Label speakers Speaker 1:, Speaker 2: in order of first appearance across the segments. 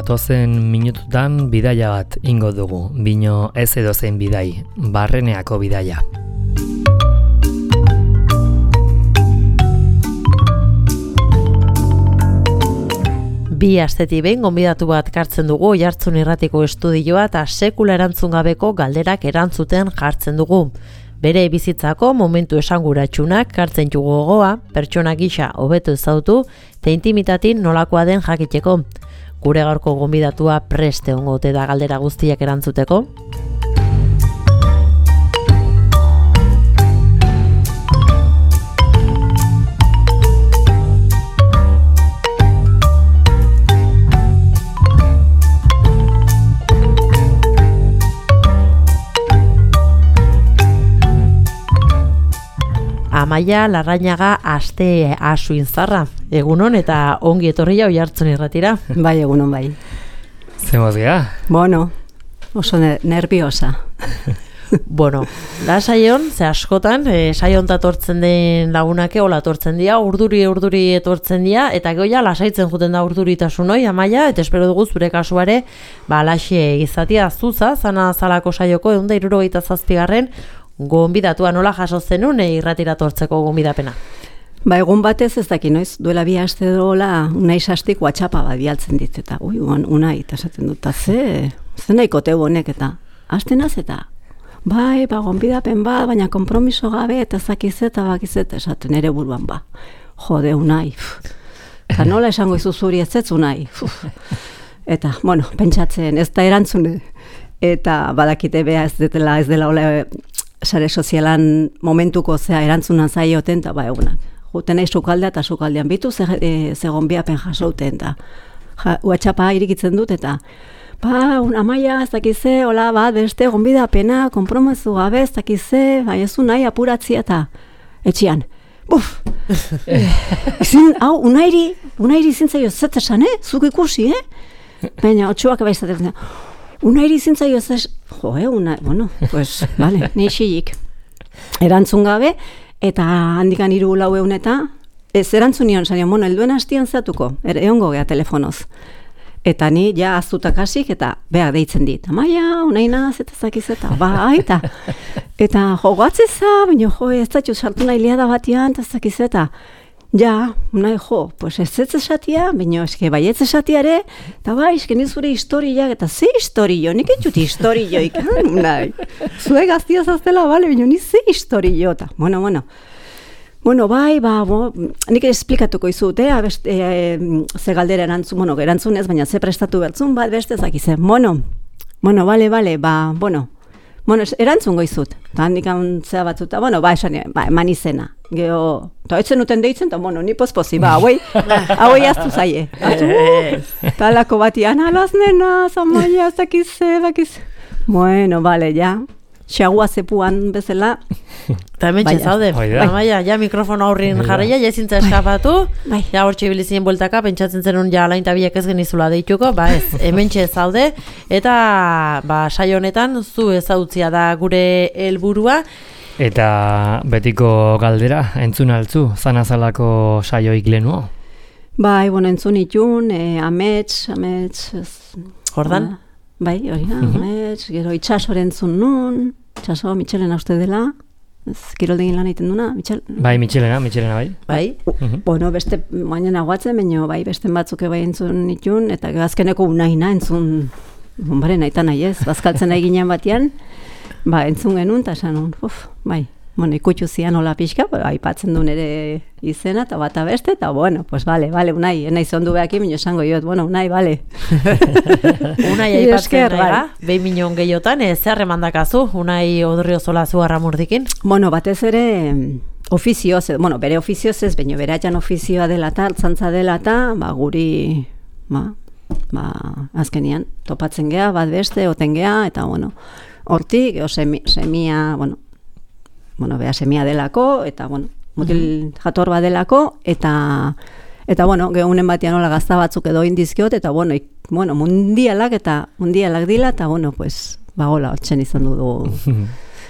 Speaker 1: datozen minututan bidaia bat ingo dugu, bino ez edozein bidai, Barreneako bidaia.
Speaker 2: Bi astetik behin gonbidatu bat kartzen dugu Oiartzun Irratiko estudioa eta sekula erantzun gabeko galderak erantzuten jartzen dugu. Bere bizitzako momentu esanguratsunak kartzen dugu gogoa, pertsona gisa hobeto ezagutu eta intimitatin nolakoa den jakiteko. Gure gaurko gonbidatua preste ongote da galdera guztiak erantzuteko. Amaia Larrañaga aste asuinzarra. Egunon eta ongi etorria Oiartzun Irratira.
Speaker 3: Bai, egunon bai.
Speaker 1: Zemoz gea?
Speaker 3: Bueno, oso nerviosa.
Speaker 2: Bueno, da saion, ze askotan, saion tatortzen den lagunake, hola tortzen dira, urduri etortzen dira, eta goia lasaitzen juten da urduritasun hoi, Amaia, eta espero dugu zure kasuare, laxe izatia zuza, zana zalako saioko, 167. Gonbidatua nola jaso zenun irratira tortzeko gonbidapena?
Speaker 3: Egun batez ez daki noiz, duela 2 aste dola Unai Sastik WhatsAppa bat bialtzen dit, eta Unai, eta esaten dut, ze nahiko teu honek, eta astenaz eta gonbidapen bat, baina konpromiso gabe, eta zakizet, esaten ere buruan jode Unai, eta nola esango izu zuri ez Unai, eta, pentsatzen, ez da erantzune, eta badakite beha ez dela hola, sare sozialan momentuko erantzunan zaioten, eta egunak. Juten nahi sukaldea eta sukaldean bitu zegon biapen jasouten, eta WhatsAppa irikitzen dut, eta Amaia, ez dakize, hola bat, beste gonbidapena, konpromezu gabe, ez dakize, ez nahi apuratzia, eta etxian. Unairi zintzaio zetesan, zuk ikusi, baina, otxuak baizatzen, Unairi zintzaio ez, ni xilik. Erantzun gabe, eta handikan 3-4 egun eta, ez erantzun nion, helduen hastian zeatuko, egongo gea telefonoz. Eta ni ja aztutak hasik, eta beha deitzen dit. Amaia, unaina, zetezak eta eta jogatzeza, baina ez da sartu nahi liada batian, eta zakizeta. Ja, nahi ez esatia, baina eske baietz esatiare, eta eske nizure historiak, eta ze historio, nik etxut historioik, nahi. Zue gaztia zaztela, baina ni ze historio, eta, nik esplikatuko izut, ze galdera erantzun, erantzunez, baina ze prestatu bertzun, beste zakize, erantzungo izut, eta handikan zea batzuta, eman izena, geho, eta etzen uten deitzen, eta ni pozpozi, hauei aztu zaie, talako batian, alaz nena, Amaia, zakize, ja, xagua zepuan bezala.
Speaker 2: Eta hemen txezaude, Amaia, ja mikrofona aurrin jarraia, ja ezintza eskapatu, ja hor txibilizien bueltaka, pentsatzen zenun ja alain tabiak ez genizula deituko, hemen txezaude, eta saio honetan zu ezautzia da gure helburua.
Speaker 1: Eta betiko galdera, entzun altzu, zanazalako saioik lehenuo?
Speaker 3: Entzun itun, amets,
Speaker 2: Jordan?
Speaker 3: Hori da, amets, gero itxasoren entzun nun, itxaso, Mitxelena uste dela, kiroldegin lan egiten duna, Mitxel?
Speaker 1: Mitxelena, bai.
Speaker 3: Beste, baina guatzen, baina beste batzuk entzun itun, eta azkeneko unaina entzun, nahi nahi ez, bazkaltzen nahi ginen batean, entzun genuen, eta esan nun, ikutxu zian hola pixka, aipatzen duen ere izena, eta bata beste, eta bale, Unai, nahi zondu behakin, minio esango jot, Unai, bale.
Speaker 2: Unai aipatzen nahi, 2 milion gehiotan, zer remandakazu, Unai Odrio Zolazu Arramurdikin?
Speaker 3: Batez ere, ofizioz, bere ofizioz ez, baina bere atxan ofizioa dela eta, altzantza dela eta, guri, azkenian, topatzen gea, bat beste, oten gea, eta, hortik, semia, beha semia delako, eta, mutil jator bat delako, eta gehunen batian hola gazta batzuk edo indizkiot, eta, mundialak dila, eta, hola, otxen izan dugu.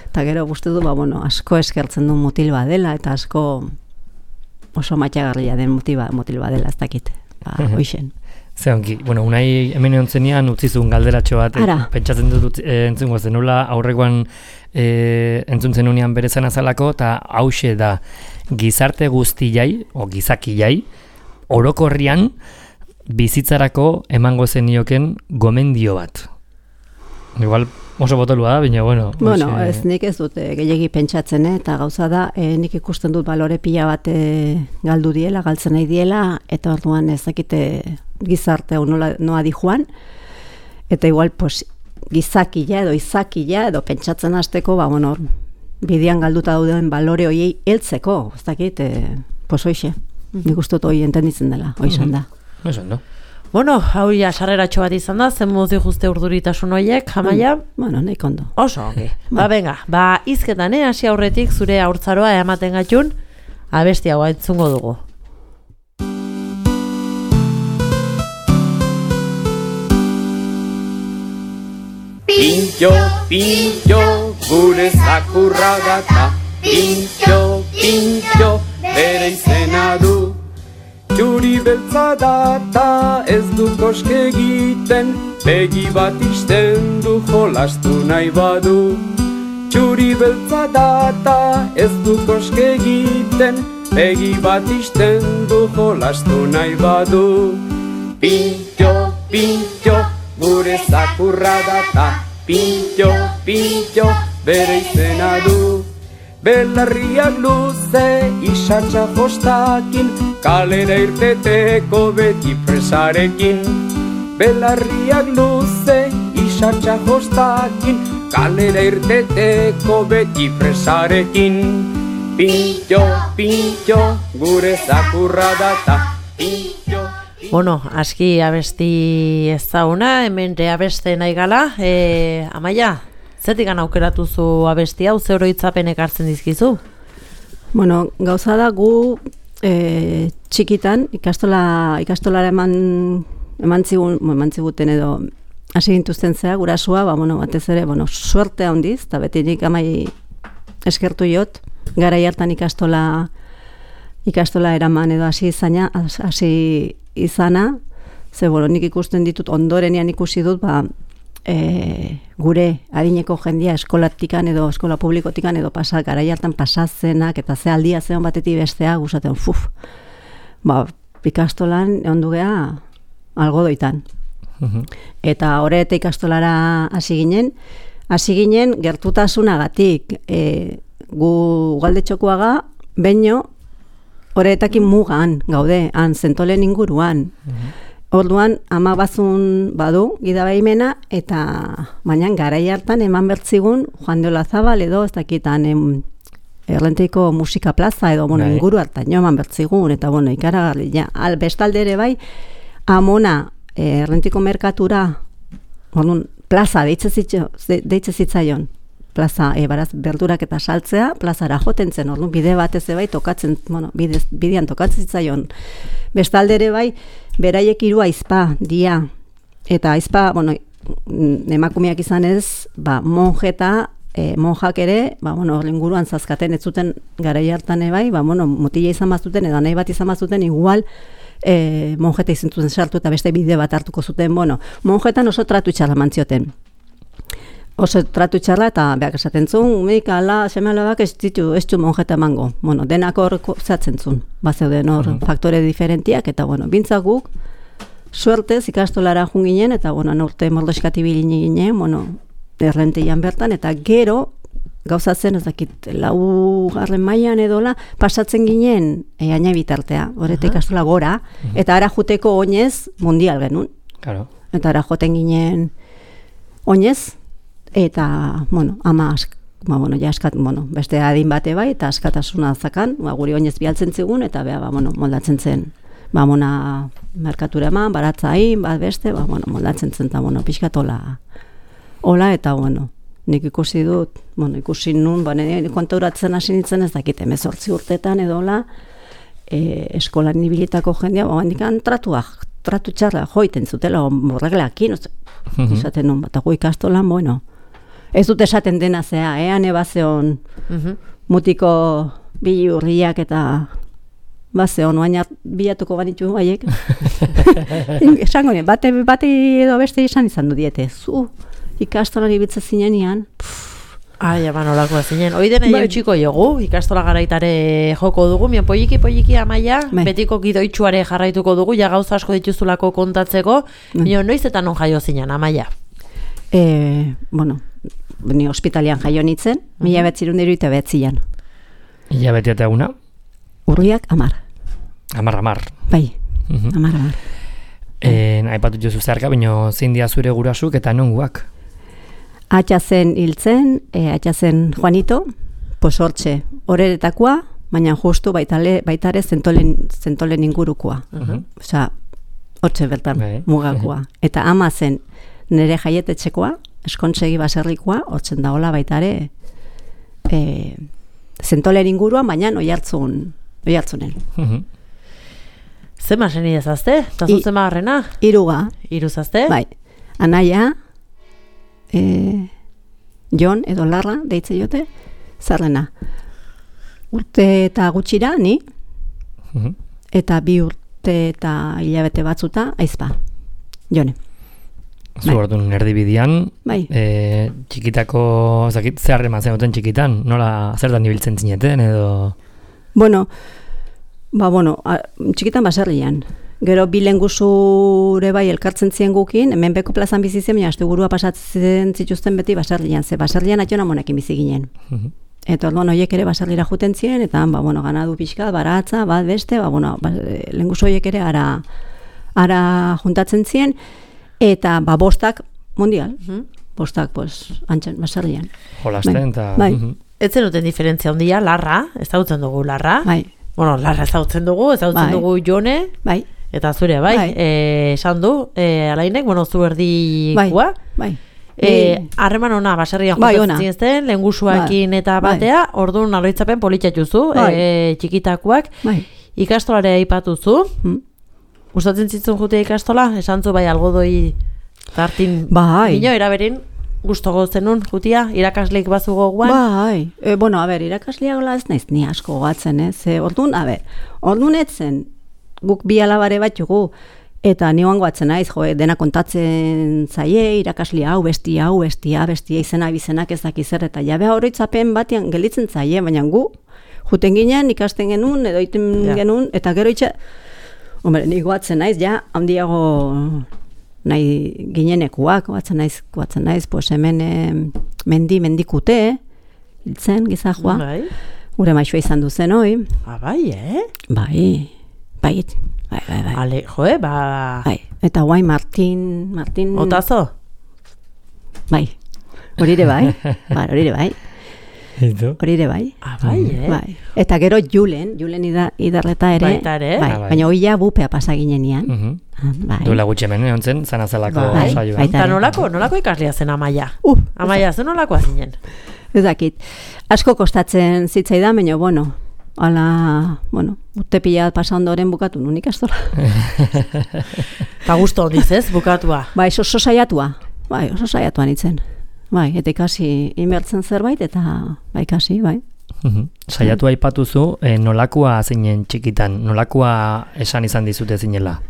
Speaker 3: Eta gero guzti du, asko eskertzen du mutil bat dela, eta asko oso matxagarria den mutil bat dela, ez dakit, hoixen.
Speaker 1: Zeonki, bueno, unai hemen egontzenean utzizun galderatxo bat, pentsatzen dut entzungo zenula, aurrekoan entzuntzen unean bere zen azalako, eta hause da gizarte guztiai, o gizakilai, orokorrian bizitzarako emango zenioken gomendio bat. Igual oso botolua da, baina bueno.
Speaker 3: Bueno, ez nik ez dut gehiegi pentsatzen, eta gauza da, nik ikusten dut balore pila bat galdu diela, galtzen nahi diela, eta orduan ezakite gizarte hau noa di joan, eta igual pues, gizakila edo izakila edo pentsatzen hasteko, bueno, bidean galduta dauden balore hoiei heltzeko, ez dakit, pues hoixe, nik uste dut hoi entenditzen dela, hoixan da.
Speaker 1: Eso, no?
Speaker 2: Bueno, hau ja sarreratxo bat izan da, zen modu juzte urduritasun horiek, Amaia?
Speaker 3: Bueno, nahi kondo.
Speaker 2: Oso, ongi. Venga, izketan, hasi aurretik zure haurtzaroa ematen gatxun, abesti hau entzungo dugu.
Speaker 4: Pintxo, pintxo, gure zakurra gata, pintxo, pintxo, bere izena du. Txuri beltza data ez du koske egiten, begi bat isten du jolastu nahi badu. Txuri beltza data ez du koske egiten, begi bat isten du jolastu nahi badu. Pintxo, pintxo, gure zakurra data, pintxo, pintxo, bere izena du. Belarriak luze, isatxa jostakin, kalera irteteko beti presarekin. Belarriak luze, isatxa jostakin, kalera irteteko beti presarekin. Pintxo, pintxo, gure zakurra data, pintxo.
Speaker 2: Bueno, aski abesti ezaguna, hemen abeste nahi gala, Amaia? Zetik aukeratu zu abesti hau, ze oroitzapenek hartzen dizkizu?
Speaker 3: Bueno, gauza da gu txikitan ikastolara eman ziguten edo hasi gintuzten zea, gurasua, batez ere, suerte handiz, eta beti nik amai eskertu jot, garai hartan ikastola eraman edo hasi izana, ze nik ikusten ditut, ondorenean ikusi dut, gure adineko jendia eskolatikan edo eskola publikotikan edo garai hartan pasazenak eta ze aldia zeon batetik bestea gustatzen ikastolan ondu gea algodoitan. Eta horreta ikastolara hasi ginen gertutasunagatik gu galdetxokoaga baino horretakin mugan gaude, han Zentolen inguruan. Orduan, ama bazun badu, gidabaimena, eta baina garai hartan eman bertzigun Juan de Olazabal edo, ez dakitan Errenteiko musika plaza edo, inguru hartan eman bertzigun, eta ikaragarri, bestalde ere bai, amona Errenteiko merkatura, plaza deitze zitzaion, plaza, baraz, berdurak eta saltzea, plazara joten zen, bide batez bai, tokatzen, bidean tokatzen zitzaion. Bestalde ere bai, beraiek hiru aizpa dia, eta aizpa, emakumeak izan ez, monjak ere, inguruan zazkaten ez zuten garai hartan bai, motila izan bazuten, edo nahi bat izan bazuten, igual, monjeta izan zuten sartu eta beste bide bat hartuko zuten, monjetan oso tratu txarra mantzioten. Oso tratu txarra eta behak esaten zuen, seme alabak ez du monjeta emango. Denak hor zatzen zuen, zeuden hor faktore diferentiak, eta bintzak guk, suertez ikastolara jun ginen, eta norte mordoskati bilini ginen, errenteian bertan, eta gero, gauza zen, ez dakit, 4. mailan edola, pasatzen ginen, aina bitartea, horreta ikastola gora, eta ara juteko oinez mundial genuen. Eta ara joten ginen oinez, eta, ama beste adin bate bai, eta askatasuna zakan, guri oinez bialtzen zigun, eta moldatzen zen, merkatura eman, baratzain, beste, moldatzen zen, eta, pixkatola, hola, eta, nik ikusi dut, ikusi nun, kontauratzen hasi nintzen ez dakite, 18 urtetan edola, eskolan ibilitako jendea, handikan tratu txarra joiten zutela, horreglakin, izaten nun, bat agu ikastolan, ez dut esaten dena zea, ane bazeon mutiko bilurriak eta Baze, onoain bilatuko banitu haiek. Esango nien, bate edo beste izan du diete. Ikastolari bitza zinean,
Speaker 2: Ai, ama nolakoa zinen. Hoi dena eutxiko jogu, ikastola garaitare joko dugu, mian polliki Amaia, betiko gidoitxuare jarraituko dugu, ja gauza asko dituzulako kontatzeko, mian noiz eta non jaio zinen, Amaia?
Speaker 3: Bueno, ni hospitalian jaio nitzen, 1979an.
Speaker 1: Hilabete eta eguna?
Speaker 3: Urriak 10.
Speaker 1: 10.
Speaker 3: Bai, 10.
Speaker 1: Aipatu jozu zeharka, baina zein dia zure gurasuk eta nonguak?
Speaker 3: Atxazen hiltzen, atxazen Juanito, pues hortxe, horretakoa, baina justu baitare zentolen ingurukoa. Osa, hortxe bertan mugakoa. Eta ama zen nire jaietetxekoa, eskontsegi baserrikoa, hortzen dagoela baitare zentolen inguruan, baina oihartzunen.
Speaker 2: Zema zen idazazte? Eta zutzen magarrena?
Speaker 3: Hiru
Speaker 2: zazte?
Speaker 3: Bai, anaia, Jon edo Larra deitze jote, zarrena. Urte eta gutxira, ni, eta 2 urte eta hilabete batzuta, aizpa, Jone.
Speaker 1: Zu orduan erdibidian, txikitako, zer eman zenuten txikitan, nola zer da nibiltzen zineten edo?
Speaker 3: Bueno, txikitan baserrian. Gero bilengusure bai elkartzen zien gukin, hemen beko plazan bizi zen, baina astegurua pasatzen zituzten beti baserrian, ze baserrian atxona monekin bizi ginen. Eta orduan horiek ere baserrira juten zien, eta ganadu pixka, baratza, bat beste, lengusu horiek ere ara juntatzen zien, eta bostak mundial, bostak antxen baserrian.
Speaker 1: Jolasten eta...
Speaker 2: Ez zenuten diferentzia ondia, Larra, ez dautzen dugu Larra.
Speaker 3: Bai.
Speaker 2: Bueno, Larra ez dautzen dugu Jone.
Speaker 3: Bai.
Speaker 2: Eta zure, bai. Esan du, alainek, zu erdikoa.
Speaker 3: Bai.
Speaker 2: Harreman ona, baserrian juntatzen zinezten, lehengusuakin eta batea, orduan aloitzapen politxatuzu, txikitakoak. Ikastolare aipatuzu. Gustatzen zitzun jute ikastola? Esan zu, bai, algodoi tartin. Bino, eraberin, gustogo zenun, jutia, irakasleik bazu goguan?
Speaker 3: Bai, irakasleak gola ez naiz ni asko gogatzen, orduan etzen, guk bi alabare bat jugu, eta nioan goatzen naiz, dena kontatzen zaie, irakasle hau, bestia izena bizenak ez dakizer, eta jabea horretzapen batean gelditzen zaie, baina gu, juten ginen, ikasten genuen, edo iten genuen, eta gero itxe, ni goatzen naiz, ja, handiago nahi ginenekuak, goatzen naiz, pues hemen mendikute, hiltzen, gizajua, gure maixua izan duzen hoi. Bai.
Speaker 2: Ale,
Speaker 3: Bai, eta guai Martin...
Speaker 2: Otazo?
Speaker 3: Bai, hori ere bai. Bai. Eta gero Julen idarreta ere. Baina hoia bupea pasa ginenean.
Speaker 1: Duela gutxe hemen, ontzen, zanazalako saioa.
Speaker 2: Eta nolako ikaslia zen Amaia? Amaia, zen nolakoa zinen?
Speaker 3: Ez dakit. Asko kostatzen zitzaidan, baina, urte pila pasa ondoren bukatu nun ikastola.
Speaker 2: Pa gusto ondiz ez, bukatua?
Speaker 3: Bai, oso saiatua nintzen. Bai, eta ikasi inbertzen zerbait, eta ikasi, bai.
Speaker 1: Saiatu aipatuzu, nolakoa zinen txikitan, nolakoa esan izan dizute zinela?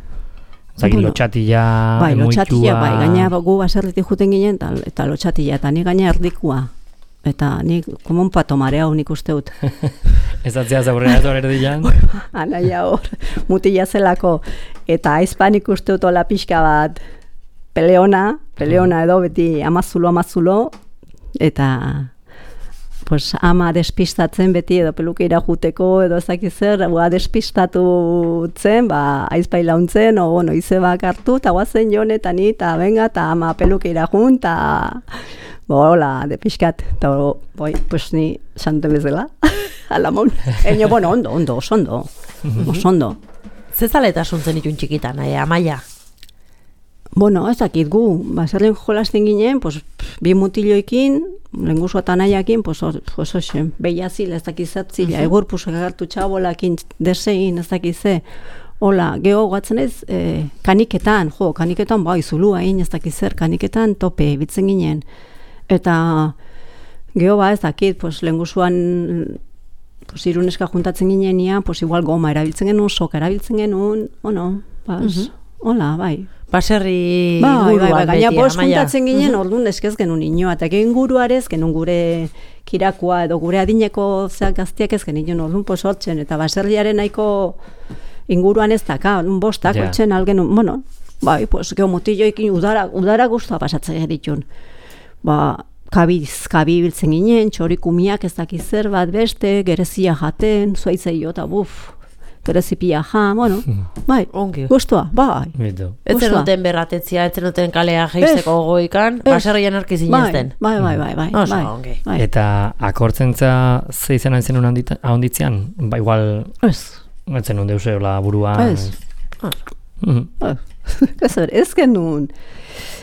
Speaker 1: Zagin lotxatila,
Speaker 3: muitua... Lotxatila, gaina gu baserritik juten ginen, eta lotxatila, eta ni gaina erdikua. Eta ni komon patomarea unik uste dut.
Speaker 1: Ez atzea zaurrera ez hor erdilan?
Speaker 3: Anaia hor, mutila zelako, eta aizpan ikuste dut ola pixka bat, peleona edo beti amazulo, eta pues, ama despistatzen beti edo pelukeira juteko edo ezakizer, despistatu zen, aizpai launtzen, izebak hartu, eta guazen Jon eta ni, eta venga, eta ama pelukeira jun, eta hola, de pixkat, eta pues ni xante bezala, alamon. Ondo, oso ondo.
Speaker 2: Zezaletasun zen itun txikitan, Amaia?
Speaker 3: Ez dakit gu, baserren jolasten ginen, pues, bi mutiloekin, lenguzu eta nahiakin, behiazil ez dakizatzila, egur pusek agartu txabolakin, desein ez dakize, hola, geho gatzen ez, kaniketan zulua egin ez dakizer, kaniketan tope bitzen ginen, eta geho ez dakit, lenguzuan pues, iruneska juntatzen ginean, pues, igual goma erabiltzen genuen, soka erabiltzen genuen, bueno, hola, bai.
Speaker 2: Baserri inguruan beti,
Speaker 3: Gaina juntatzen ginen, orduan eskez genuen inoa, eta inguruarez, genuen gure kirakua edo gure adineko gaztiak ez genuen, orduan hortzen, eta baserriaren nahiko inguruan ez daka, bostak, hortzen algenuen, bueno, bai, pues, geomutilloekin udara guztua pasatzen geritun. Kabi biltzen ginen, txorikumiak ez dakiz zer bat beste, gerezia jaten, zuaitzeio eta gerezipia bueno, bai, guztua, bai.
Speaker 2: Ez zenuten berratetzia, ez zenuten kalea geizteko gogoikan, baserrian arki zinezten.
Speaker 3: Bai.
Speaker 1: Eta akortzentza ze izan hain zenun ahonditzean? Ba, igual... Ez zenun deuseola burua...
Speaker 3: Ez genuen.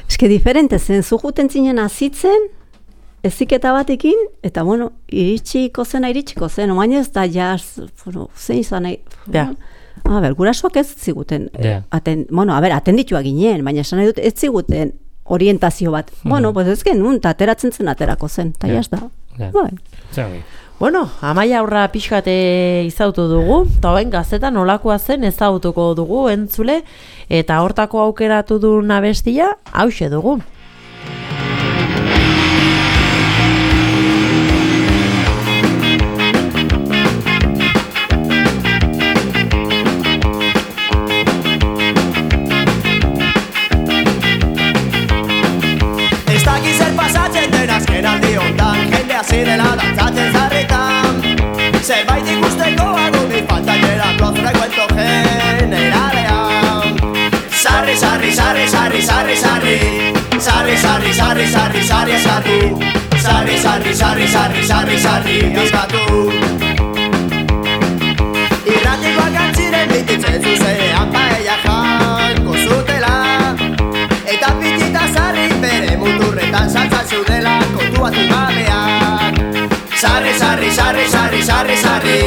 Speaker 3: Ez que diferente zen, zujuten zinen azitzen, eziketa batekin, eta bueno, iritsiko zen, omain ez da jaz, zein izan nahi, gurasoak ez ziguten, atendituak ginen, baina esan nahi dut ez ziguten orientazio bat, bueno, pues ez genuen, eta ateratzen zen aterako zen, eta jaz da.
Speaker 2: Bueno, Amaia Aurra pixkate izautu dugu, eta hoen gaztetan nolakoa zen ezautuko dugu entzule, eta hortako aukeratu duen abestia, hauxe dugu.
Speaker 5: Zirela dantzatzen zarritan Zerbait ikusteko agunik faltainera Plozre cuento generalean Sarri, sarri, sarri, sarri, sarri, sarri Sarri, sarri, sarri, sarri, sarri, eskatu Sarri, sarri, sarri, sarri, sarri, sarri, eskatu Irratikoak antziren bititzen zuzenean paella janko zutela Eta pitita sarri bere muturretan saltzatzen dela kontuatu gabean Sarri, sarri, sarri, sarri, sarri, sarri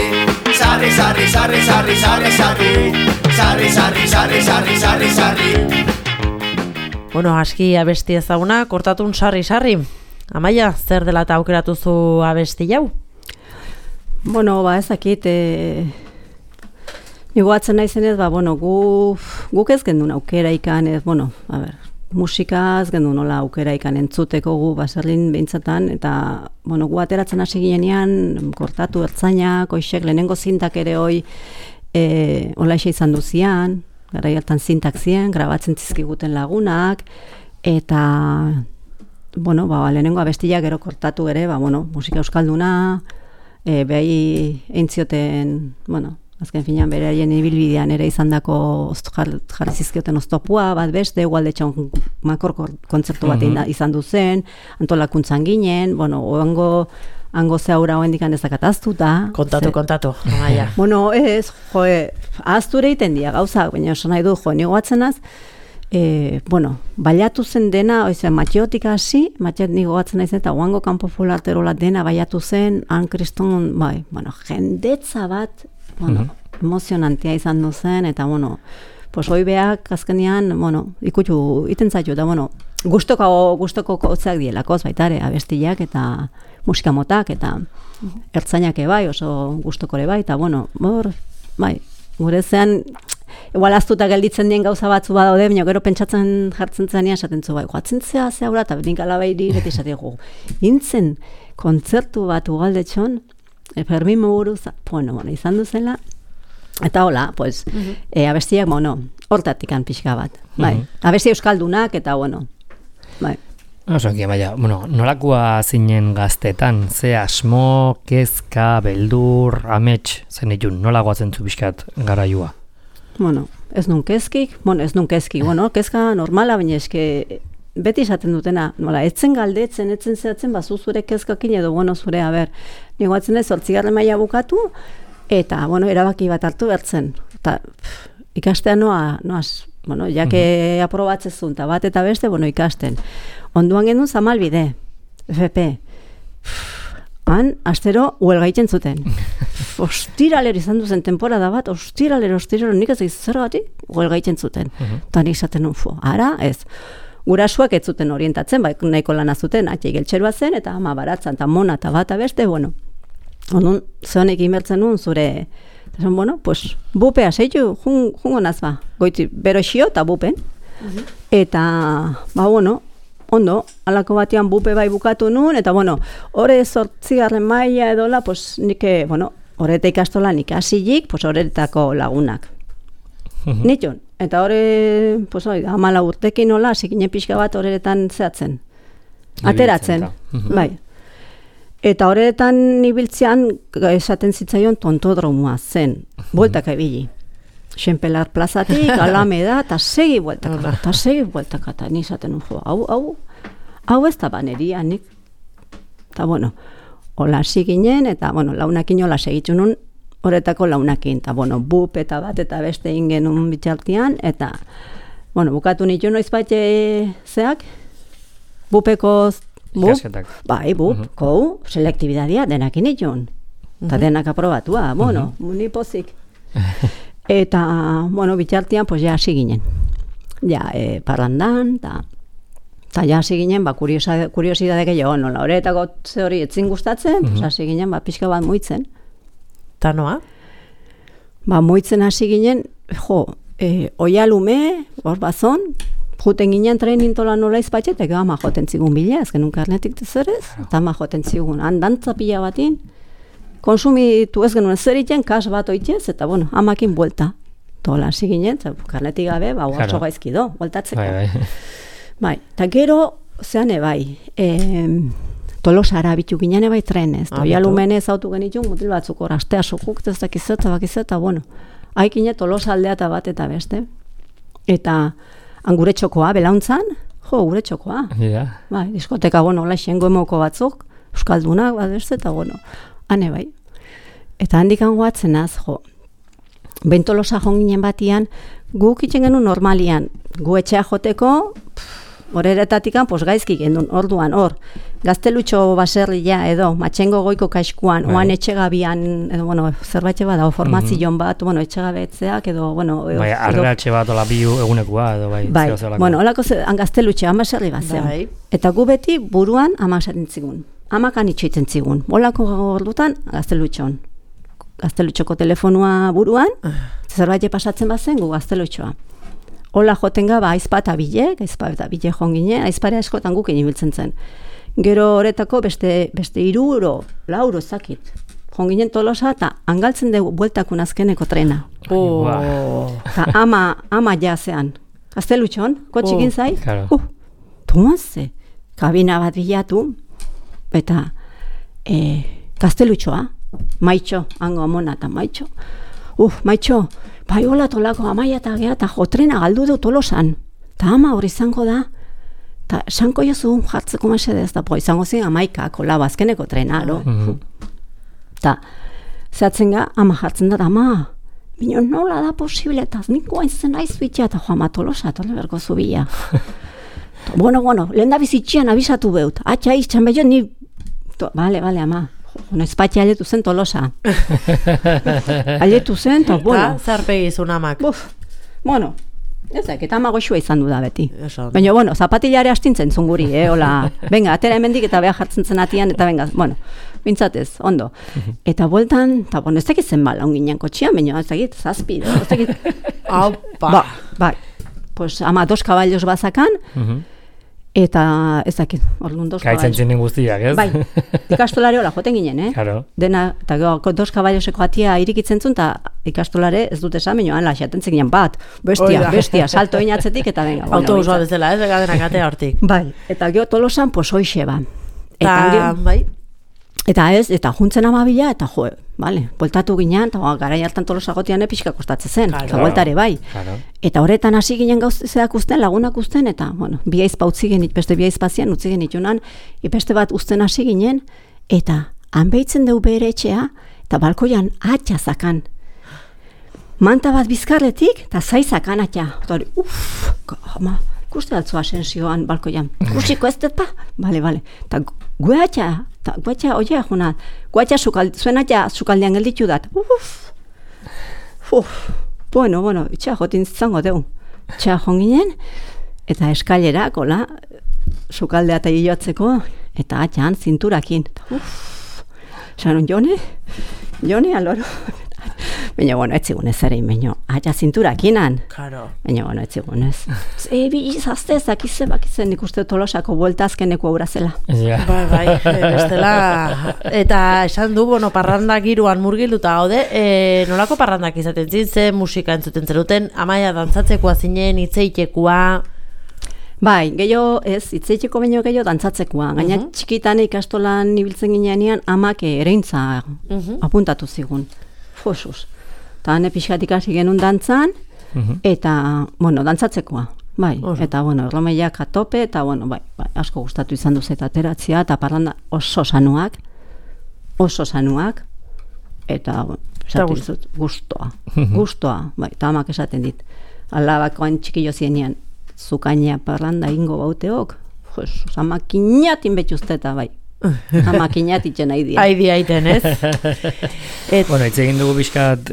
Speaker 5: Sarri, sarri, sarri, sarri, sarri, sarri Sarri, sarri, sarri, sarri, sarri, sarri
Speaker 2: Bueno, aski abesti ezaguna, kortatun sarri, sarri. Amaia, zer dela eta aukeratu zu abesti jau?
Speaker 3: Bueno, ezakit, nigo atzen naizenez, guk ez gendun aukera ikan, musikaz gendu nola aukera ikan entzuteko gu baserrin behintzatan, eta gu ateratzen hasi ginean, kortatu ertzainak, oixek lehenengo zintak ere hoi olaxe izan duzian, gara hartan zintak ziren, grabatzen zizkiguten lagunak, eta lehenengo abestiak gero kortatu ere, musika euskalduna, behi eintzioten, azken finean beraien ibilbidean ere izandako jarri zizkioten oztopua, bat beste, Ualdetxon makor kontzertu bat izan duzen, antolakuntzan ginen, hango zehaura hoendikan ezakataztuta.
Speaker 2: Kontatu, Amaia.
Speaker 3: Ahazture iten dia gauzak, baina oso nahi du, nigo atzenaz, baiatu zen dena, Matxeotik hasi, Matxeot nigo atzen naizen, eta oango kanpo folarterola dena baiatu zen, kriston, jendetza bat, emozionantia izan duzen, eta, hoi beak, azkenean, ikutu, iten zaitu, eta, gustoko kotzak dielakoz, baitare, abestiak, eta musika motak, eta ertzainak bai, oso gustokore bai, eta, gure zean, igual aztuta gelditzen dien gauza batzu badaude, baina gero pentsatzen jartzen zenean, esaten zu, joatzen zea zehaura, eta nik alabairi, beti esateko, intzen kontzertu bat Ualdetxon, Fermin Muguruz, izan duzela, eta hola, abestiak, hortatikan pixka bat, abesti euskaldunak, eta, bai.
Speaker 1: Osoki, baina, nolakoa zinen gaztetan, ze asmo, kezka, beldur, amets, zen itun, nolakoa zentzu pixkat garaioa?
Speaker 3: Ez nun kezkik, kezka normala, baina eske beti esaten dutena, etzen galdetzen, etzen zehatzen, bazu zure kezkakin edo, zure, nigo atzen ez, 8. maila bukatu, eta, erabaki bat hartu bertzen. Eta ikastea noaz, jake aprobatzezun, eta bat eta beste, ikasten. Onduan genuen Zamalbide, FP. Han, astero, huelgaitzen zuten. Ostiralero izan duzen temporada bat, ostiralero, nik ez zergatik, huelgaitzen zuten. Eta nik esaten ara, ez. Gurasuak ez zuten orientatzen, nahiko lana zuten, atxei geltxerua zen, eta ama baratzan, eta mona, eta bata beste, Ondun, zehonek imertzen nuen zure, esan, bueno, pues, bupea zeitu, jungo naz ba, goiti, bero xio eta bupen. Eta, bueno, ondo, alako batean bupe bai bukatu nuen, eta, bueno, hore 8. maila edola, pues, nik, bueno, horreta ikastola nik hasilik, pues, horretako lagunak. Nitxon, eta hore, pues, 14 urtekin nola, hasi pixka bat horretan zehatzen. Ateratzen, bai. Eta horretan ibiltzean esaten zitzaion tontodromua zen, bueltaka ibili. Xenpelar plazatik, Alameda, eta segi bueltaka, eta ni esaten jo, hau ez da baneria, nik. Eta bueno, hola hasi ginen, eta bueno, launakin hola segitu nun, horretako launakin, eta bueno, bup eta bat eta beste ingen un bitxaltian, eta bueno, bukatu nitu noiz bat zeak, bupeko bai, kou, selektibidadia denak initun. Eta denak aprobatua, bueno, ni pozik. Eta, bueno, bitxartian, pues ja hasi ginen. Ja, parrandan, eta ja hasi ginen, kuriosidade gehiago, nola, horretako ze hori etzin gustatzen, pues hasi ginen, pixka bat muitzen.
Speaker 2: Ta noa?
Speaker 3: Muitzen hasi ginen, oialume, hor bazon, juten ginen trainintola nola izpatxetek, ama joten zigun bila, ezken un karnetik tezerez, eta ama joten zigun handantza pila batin, konsumitu ez genuen zer iten, kas bat oitez, eta bueno, amakin buelta. Tola hasi ginen, karnetik gabe, oso gaizkido, bueltatzeko. Bai, eta gero, zean ebai, Tolosara bitu ginen ebai trenez, oialumenez autu genitun, mutil batzuk hor, astea sokuk, ez dakizeta, bueno, haikine Tolosa aldea eta bat eta beste. Eta gure txokoa, belauntzan, gure txokoa. Bai, diskoteka, bueno, laixen goemoko batzuk, euskaldunak, badezte, eta bueno, hane bai. Eta handikan guatzen az, Bentolosa jonginen batian, guk itzen genuen normalian, gu etxea joteko, horretatikan, pues gaizki gendun, orduan, gaztelutxo baserria edo, matxengo goiko kaiskuan, oan etxegabian, edo, bueno, zerbait bada, formazion bat, bueno, etxegabetzeak, edo, bueno...
Speaker 1: Bai, arreratxe bat, ola bi egunekua, edo, bai,
Speaker 3: zehozelako. Bueno, olako gaztelutxe, baserri bat zeo. Eta gu beti buruan amak esaten zigun, amakan itxoitzen zigun, olako ordutan gaztelutxon. Gaztelutxoko telefonua buruan, zerbait pasatzen bat zen, gu gaztelutxoa. Ola joten gaba aizpata bile jongine, aizparea eskotan guk inibiltzen zen. Gero horretako beste 3 4 zakit. Jonginen Tolosa eta angaltzen dugu bueltakun azkeneko trena. Eta ama jazean. Gaztelutxon, kotxikin zai? Tomazze, kabina bat bilatu, eta gaztelutxoa, maitxo, hango amona eta maitxo. Maitxo, bai hola tolako amaia eta geha, eta trena galdu du Tolosan. Eta ama hori izango da, eta esanko jozu jartzeko mesedez, eta izango zen amaikako labazkeneko trena, Eta zehatzen ga, ama jartzen da, ama, bino nola da posible, eta niko hain zen aiz bitia, eta ama Tolosa, tole berko zubila. Bueno, lehen da bizitxian abisatu beut, atxa izan behio, ni, bale, ama. Espatxe aletu zen Tolosa. Aletu zen, eta, bueno.
Speaker 2: Zarpegizun amak.
Speaker 3: Bueno, ezak, eta ama goxua izan du da beti. Baina, bueno, zapatilare astintzen zunguri, hola. Venga, atera hemendik eta beha jartzen zen atian, eta venga, bueno, bintzatez, ondo. Eta bueltan, eta, bueno, ez dakit zen bala onginen kotxian, baina, ez dakit, zazpi, ez dakit.
Speaker 2: Aupa.
Speaker 3: Bai, pues, ama 2 kaballos bazakan, eta ez dakit, orduan 2 kaballos.
Speaker 1: Kaitzen zinen guztiak, ez?
Speaker 3: Bai, ikastolare hola, joten ginen,
Speaker 1: Claro.
Speaker 3: Dena, eta 2 kaballoseko atia irikitzen zuen, eta ikastolare ez dute esan, baina ala, xatentzen ginen bat, bestia, salto inatzetik, eta venga.
Speaker 2: Autobusua bezala, ez, denak atea hortik.
Speaker 3: Bai, eta gero Tolosan, pues hoixe ba.
Speaker 2: Bai.
Speaker 3: Eta juntzen amabila, eta bueltatu ginen, eta garai hartan Tolosa gotian pixka kostatzen zen, eta bueltare bai. Eta horretan hasi ginen gauzeak usten, lagunak usten, eta, bueno, bi aizpa utzi genit, beste bi aizpazian utzi genitunan, beste bat usten hasi ginen, eta hanbeitzen deu bere etxea, eta balkoian atxazakan. Manta bat bizkarretik, eta zaizakan atxa. Eta hori, ikuste altzu asensioan balkoian. Ikusiko ez dut pa? Bale. Eta guatxa, oia juna, guatxa zuen atxa sukaldean gelditu dat. Bueno, itxa jotin zango deu. Itxa jonginen, eta eskailera, kola, sukaldea eta hilotzeko, eta atxan zinturakin. Esan, Jone, aloro. Baina, bueno, ez zigun ez ere, baina, aia zinturakinan.
Speaker 2: Claro.
Speaker 3: Baina, bueno, ez zigun ez. Bi izazte, bakizen, nik uste Tolosako bueltazkeneko aurra zela.
Speaker 1: Yeah.
Speaker 2: Bai, bestela. Eta esan du, bueno, parranda giruan murgilduta gaude, nolako parrandak izaten zintzen, musika entzuten zenuten, Amaia dantzatzekoa zinen, hitzeitekoa.
Speaker 3: Bai, gehiago ez, hitzeiteko baino gehiago dantzatzekoa. Gaina txikitan ikastolan ibiltzen ginean amak ereintza apuntatu zigun. Fosuz. Eta hane pixkatik hasi genuen dantzan, eta, bueno, dantzatzekoa. Bai, eta, bueno, erromeiak atope, eta, bueno, bai, asko gustatu izan duz eta ateratzea, eta parranda oso sanuak, eta, gustoa, bai, eta amak esaten dit. Alabakoan txikillo zienean, zukaina parranda ingo bauteok, amakiñatin betxuzteta, bai. Amakiñatitzen aidia.
Speaker 2: Aidia aiten, ez?
Speaker 1: Bueno, hitz egin dugu bizkat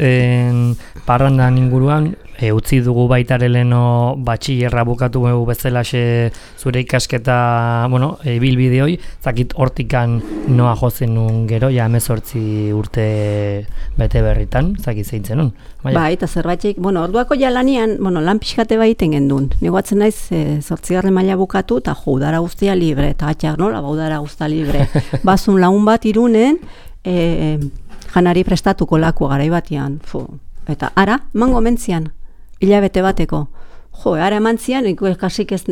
Speaker 1: parrandan inguruan, utzi dugu baitare leno batxillerra bukatu bezalaxe zure ikasketa, bueno, bilbideoi, zakit hortikan noa jozen nun gero, ja 18 urte bete berritan, zakit zeintzen nun.
Speaker 3: Bai, eta zerbaitxik, bueno, orduako ja lanian, bueno, lan pixkate baiten gendun. Nigoatzen naiz, 8. maila bukatu, eta udara guztia libre, eta atxak nola, udara guztia libre. Bazun lagun bat Irunen, janari prestatuko laku garai batean, eta ara, mango mentzian, hilabete bateko. Ara eman zian, kasik ez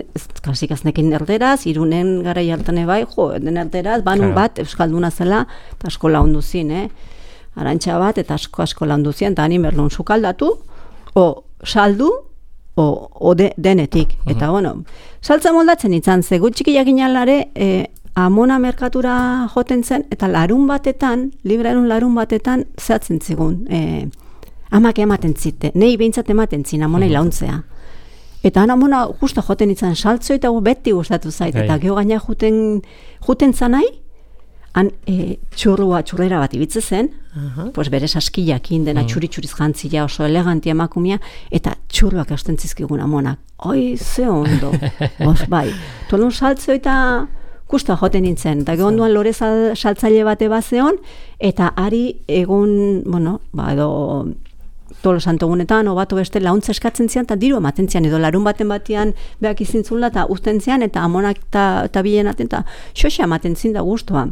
Speaker 3: nekin erderaz, Irunen garai hartane bai, den erderaz, banun bat, euskalduna zela, eta asko laundu zin, arantxa bat, eta asko laundu zian, eta hanin berlun sukaldatu, o saldu, o denetik. Eta, bueno, saltza moldatzen izan, ze gutxikiak inalare, Amona merkatura joten zen, eta larun batetan zehatzen zigun. Amak ematen zite, nahi behintzat ematen zin, amonai launtzea. Eta amona justo joten izan saltzo, eta beti gustatu zait, eta geho gaina juten zanai, txurrera bat ibitze zen, pues bere saskiakin dena txuri-txuriz jantzia, oso elegantia emakumia, eta txurruak eusten zizkigun amonak. Oi, ze ondo. Bai, tolun saltzo eta gusta joten nintzen, eta gehonduan lore saltzaile bate bazeon, eta ari egun, bueno, edo tolo santogunetan, obato beste launtza eskatzen zian, eta diru ematen zian, edo larun batean behak izintzula, eta usten zian, eta amonak eta bilen aten, eta xoxa ematen zin da guztua.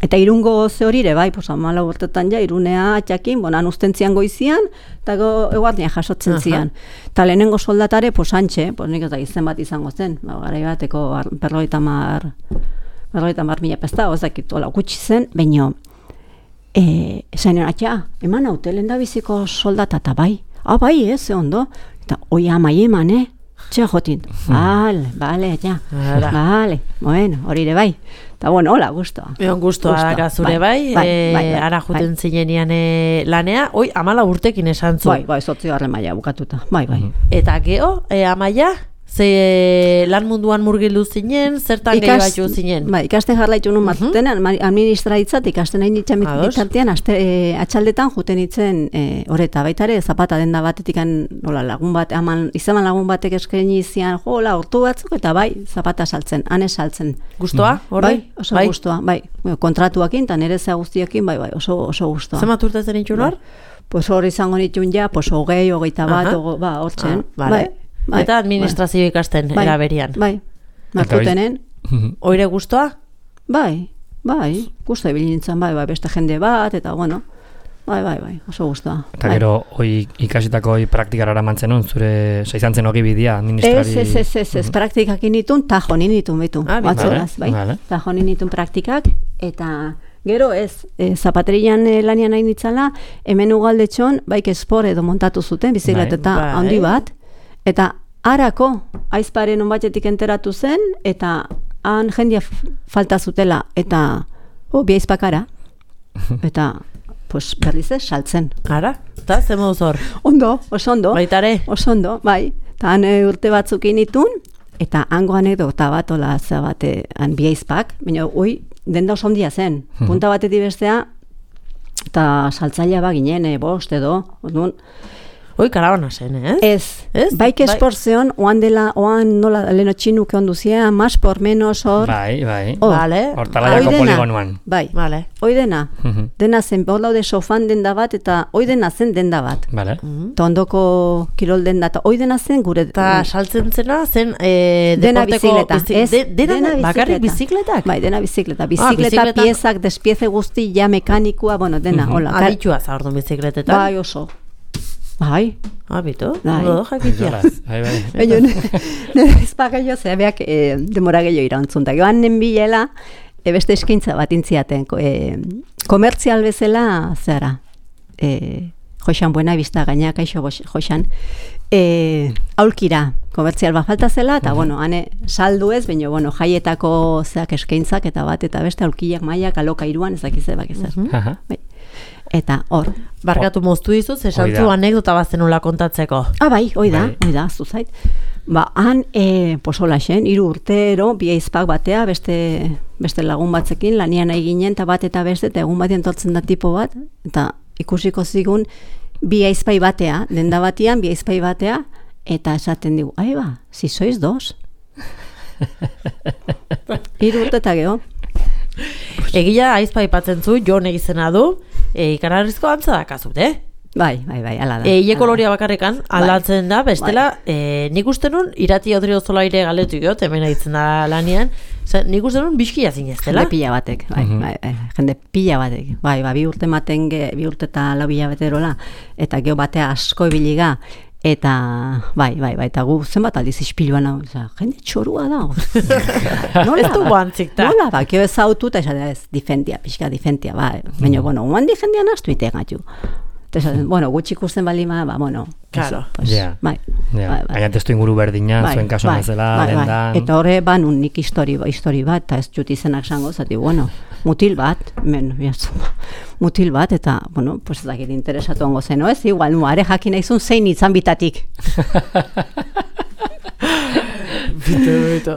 Speaker 3: Eta Irungo ze horire, bai, 14 urtetan ja, Irunea atxakin, bonan usten zian goizian, eta eguardian jasotzen zian. Eta lehenengo soldatare, antxe, nik ez da izen bat izango zen, garai bateko 50.000 pesta, ozakit, hola, gutxi zen, baino, esainen atxa, eman haute, lehen da biziko soldata, eta bai, bai, ze ondo, eta oi amai eman, txea jotin, bale, bueno, horire bai. Eta bueno, hola, guztua.
Speaker 2: Guztua daka zure bai, ara juten zinenean lanea, 14 urtekin esan zu.
Speaker 3: Bai, 8. maila bukatuta, bai.
Speaker 2: Eta geho, Amaia, ze lan munduan murgildu zinen, zertan gehiago zinen?
Speaker 3: Bai, ikaste jarlaitu nun matuten, administraitzat ikasten nahi nintzen bitartean, atxaldetan juten nintzen horreta, baitare, zapata denda batetik lagun bat, izaman lagun batek eskaini izian, hortu batzuk, eta bai, zapata saltzen, ane saltzen.
Speaker 2: Guztua, horre?
Speaker 3: Bai, oso guztua, bai, kontratuakin, eta nire zea guztiakin, bai, oso guztua.
Speaker 2: Zemat urtetzen nintxun hor?
Speaker 3: Pues hor izango nitxun ja, 20, 21, hortzen, bai.
Speaker 2: Eta administrazio ikasten eraberian.
Speaker 3: Bai, martutenen.
Speaker 2: Oire guztua?
Speaker 3: Bai, guztua ibilintzen, bai, beste jende bat, eta bueno, bai, oso guztua.
Speaker 1: Eta gero, ikasitako praktikara eramantzen hon, zure izan zen hogi bidea, administrari...
Speaker 3: Ez, praktikak initun, tajo ninitun betu, batzuraz, bai. Tajo ninitun praktikak, eta... Gero ez, zapaterian lanian nahi nitzala, hemen ugaldetxon, baik espor edo montatu zuten, bizikleteta handi bat, eta harako aizparen onbatetik enteratu zen, eta han jendia falta zutela, eta bi aizpakara, eta berriz ez, saltzen.
Speaker 2: Ara, eta ze moduz hor?
Speaker 3: Ondo, oso ondo.
Speaker 2: Baitare?
Speaker 3: Oso ondo, bai. Eta han urte batzuk initun, eta hango anekdota bat, ola zabate, han bi aizpak, baina denda oso ondia zen, punta batetik bestea, eta saltzailea ginen, bost edo,
Speaker 2: karabana zen,
Speaker 3: Ez? Baik esportzeon, oan nola leno txinuke onduzia, más por menos hor.
Speaker 1: Bai.
Speaker 2: Hortalaiako
Speaker 1: poligonuan.
Speaker 3: Bai, hoi dena. Dena zen, hor laude sofan denda bat, eta hoi dena zen denda bat.
Speaker 1: Vale.
Speaker 3: Eta ondoko kirol denda, eta hoi dena zen gure...
Speaker 2: Eta saltzen zena zen
Speaker 3: dena bizikleta.
Speaker 2: Dena bakarrik bizikletak?
Speaker 3: Bai, dena bizikleta. Bizikleta piezak, despieze guzti, ja mekanikua, bueno, dena, hola.
Speaker 2: Aditua za orduan bizikletetan?
Speaker 3: Bai, oso. Bai.
Speaker 2: Bito?
Speaker 3: Bai.
Speaker 2: Jakitia.
Speaker 3: Baina, nire ezpageio zebeak demora gehiago irauntzuntak. Joan nenbilela, beste eskaintza bat intziaten. Komertzial bezala, zera, Joxan Buena Vista gaina, kaixo Joxan, aulkira, komertzial bat falta zela, eta, bueno, hane saldu ez, baina, bueno, jaietako zeak eskaintzak, eta bat, eta beste aulkiak maiak alokairuan, ezakize bakizer. Bai. Eta hor.
Speaker 2: Barkatu moztu dizut, esantzu anekdota bazenula kontatzeko.
Speaker 3: Bai, hoi da, zuzait. Han, posola xen, 3 urtero, bi aizpak batea, beste lagun batzekin, lanian eginen, eta bat eta beste, eta egun batean tortzen da tipo bat, eta ikusiko zigun, bi aizpai batea, denda batian, bi aizpai batea, eta esaten digu, si sois 2. 3 urte eta geho.
Speaker 2: Egia aizpa ipatzen zu, Jon egizena du, ikanarrizko antza dakazut,
Speaker 3: Bai, ala da.
Speaker 2: Ile koloria bakarrekan, aldatzen da, bestela, nik uste nun, irati Odrio Zolaire galetu giot, hemen aitzen da lanian, nik uste nun bizkia zineztela.
Speaker 3: Jende pila batek, jende pila batek. Bai, 2 urte maten, 2 urte eta 4 hilabeterola, eta geho batea asko ibiliga, eta, bai, eta gu zenbat aldiz ispiluan hau, jende txorua da.
Speaker 2: Nola, ez du guantzik da.
Speaker 3: Nola, kio ez autu, eta esatea ez, difentia, bai. Baina, bueno, oan difendian astu itegatu. Eta, bueno, gutxi ikusten balima, bueno.
Speaker 2: Claro.
Speaker 3: Bai.
Speaker 1: Baina testu inguru berdina, zuen kaso bezala, dendan.
Speaker 3: Eta horre, nun nik histori bat, eta ez jut izenak zango, zati, bueno, mutil bat, eta, bueno, pues ez dakit interesatu ongo zen, ez? Igual, are jakin naizun zein itzan bitatik.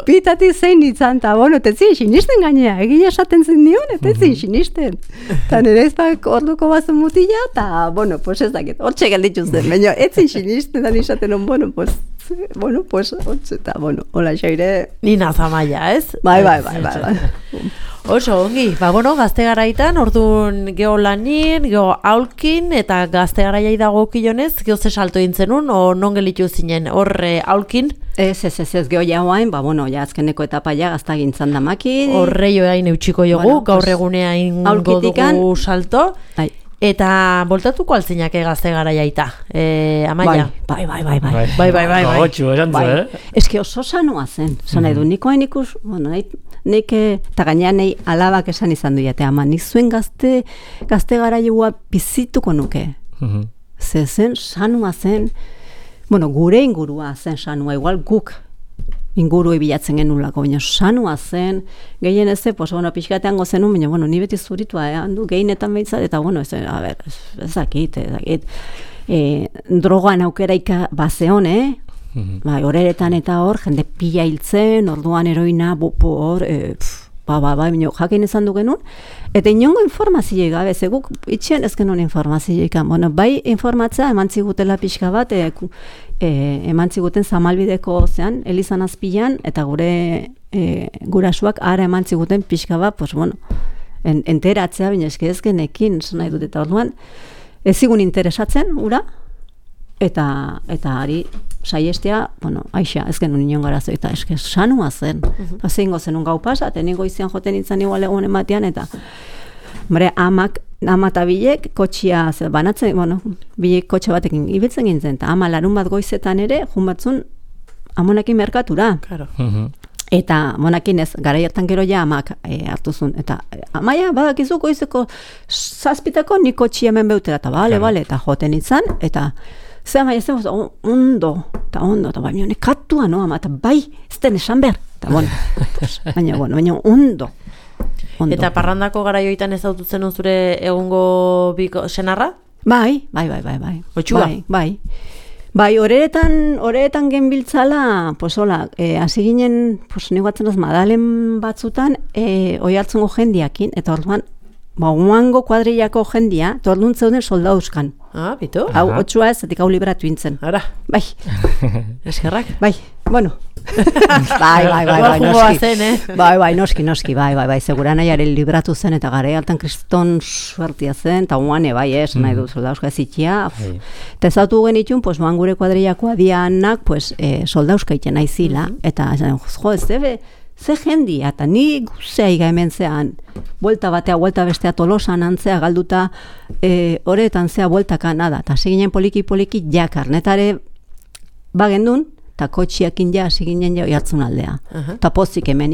Speaker 3: Bitatik zein itzan, eta, bueno, tetzin sinisten gainea, egia esaten zen nion, tetzin sinisten. Eta nire ezpak orduko bazen mutila, eta, bueno, pues ez dakit, hortxe gelditzu zen, baina etzin sinisten, da nisaten on, bueno, pues, hortxe, eta, bueno, hola xaire.
Speaker 2: Nina Zamaia, ez?
Speaker 3: Bai.
Speaker 2: Oso, ongi, bueno, gazte garaitan, orduan geho lanin, geho aulkin, eta gazte garaiai dago kilonez, geho ze salto intzenun, o non gelitu zinen, hor aulkin?
Speaker 3: Ez, geho jauain, bueno, azkeneko etapa gazta gintzan damakin.
Speaker 2: Horre joain eutxiko jogu, gaur egunea ingo dugu salto. Eta voltatuko altzinake gazte garaiaita, Amaia?
Speaker 3: Bai.
Speaker 1: Gotxu, esan zu,
Speaker 3: Eske oso sanoa zen, zan nahi du, nikoen ikus, bueno, nik eta gainean nahi alabak esan izan du jate, ama nik zuen gazte garaioa bizituko nuke. Zen, sanoa zen, bueno, gure ingurua zen sanoa, igual guk inguru bilatzen genulako, baina sanua zen, gehien ez pues, bueno, pixkatean gozenun, baina, bueno, ni beti zuritua, handu gehienetan behitzat, eta, bueno, ezakit, drogan aukeraika bazeon, horeretan eta hor, jende pila hiltzen, orduan heroina, hor, baina jakin izan du genuen, eta inongo informazioi gabe, guk itxean ez genuen informazioi bueno, bai informatzea eman zigutela pixka bat, eman ziguten Zamalbideko zean, Elizan azpilan, eta gure gurasuak ara eman ziguten pixka bat, pues bueno, enteratzea, baina eske ez genekin, nahi dut, eta orduan, ez zigun interesatzen, ura, eta ari saiestea, bueno, aixa, ez genuen inon garazo, eta eske sanua zen. Zein gozenun gau pasa, teningo izan joten nintzen igual egun ematean, eta ama eta bilek kotxia banatzen, bueno, bilek kotxe batekin ibiltzen gintzen, eta ama larun bat goizetan ere, jun batzun amonekin merkatura.
Speaker 2: Claro.
Speaker 3: Eta monakin ez, garaiertan gero ja amak hartuzun. Eta amaia, badakizu goizeko 7:00 nik kotxia hemen beutera, eta bale, eta joten nintzen, eta ze amaia zen, ondo, eta baina nekatua, no, ama, eta bai, ez den esan behar, eta bueno, baina ondo.
Speaker 2: Eta parrandako garaioitan ez daututzen zure egungo biko senarra?
Speaker 3: Bai.
Speaker 2: Otxua?
Speaker 3: Bai, horetan genbiltzala, pues hola, hasi ginen, pues negoatzen az madalen batzutan, oi hartzungo jendiakin, eta orduan, guango kuadrillako jendia, tordun zeuden soldauzkan.
Speaker 2: Bitu?
Speaker 3: Hau, otxua ez, zetik hau libratu intzen.
Speaker 2: Ara.
Speaker 3: Bai.
Speaker 2: Eskerrak?
Speaker 3: Bai, bueno. Bai, noski, bai, segura nahiaren libratu zen, eta gara altan kriston suertia zen, eta guane, bai, nahi du soldauzka ezitia. Eta ezautu genitxun, pues, moan gure kuadrillakoa dianak, pues, soldauzka iten aizila, eta, jo, ez debe, ze jendia, eta ni guzea iga hemen zean, buelta batea, buelta bestea Tolosan antzea galduta, horretan zea bueltaka nada, eta seginen poliki ja karnetare bagendun, eta kotxiakin ja, seginen ja oiartzun aldea. Eta pozik hemen,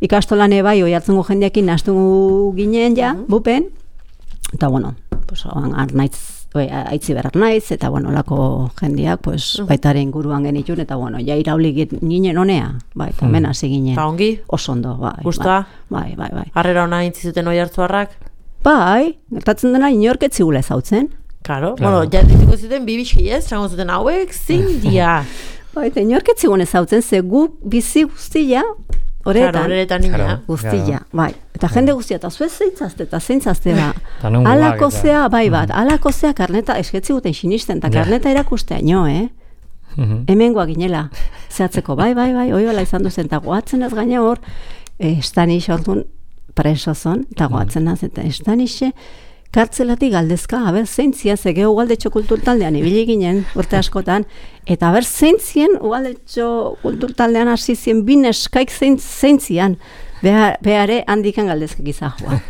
Speaker 3: ikastolane bai oiartzungo jendeakin nastu ginen ja, bupen, eta bueno, pues, aitzi berar naiz, eta bueno, lako jendeak, pues, baitaren inguruan genitun, eta bueno, ja irauli ginen honea, bai, eta hemen hasi ginen.
Speaker 2: Eta ongi?
Speaker 3: Osondo, bai.
Speaker 2: Gusta?
Speaker 3: Bai.
Speaker 2: Harrera hona intzizuten oiartzuarrak?
Speaker 3: Bai, gertatzen dena inorketzigula ezautzen.
Speaker 2: Claro, bueno, ja ditiko zuten bibixki ez, zango zuten hauek zindia.
Speaker 3: Bai, eta inorketzigun ezautzen, ze gu bizi guztia, horretan
Speaker 2: nina.
Speaker 3: Guztia, bai. Eta jende guztia, eta zuez zeintzazte ba. Alako zea, bai bat, alako zea karneta, esketzi guten sinisten, eta karneta erakustea, hemengoa ginela, zehatzeko, bai, oiola izan duzen, eta goatzen ez gaina hor, estanix orduan presozon, eta goatzen az, eta estanixe, kartzelatik galdezka, haber zeintzia, zegeo ugaldetxo kulturtaldean ibili ginen, urte askotan, eta haber zeintzien ugaldetxo kulturtaldean hasi zien bineskaik zeintzian, behare handikan galdezkak izahua.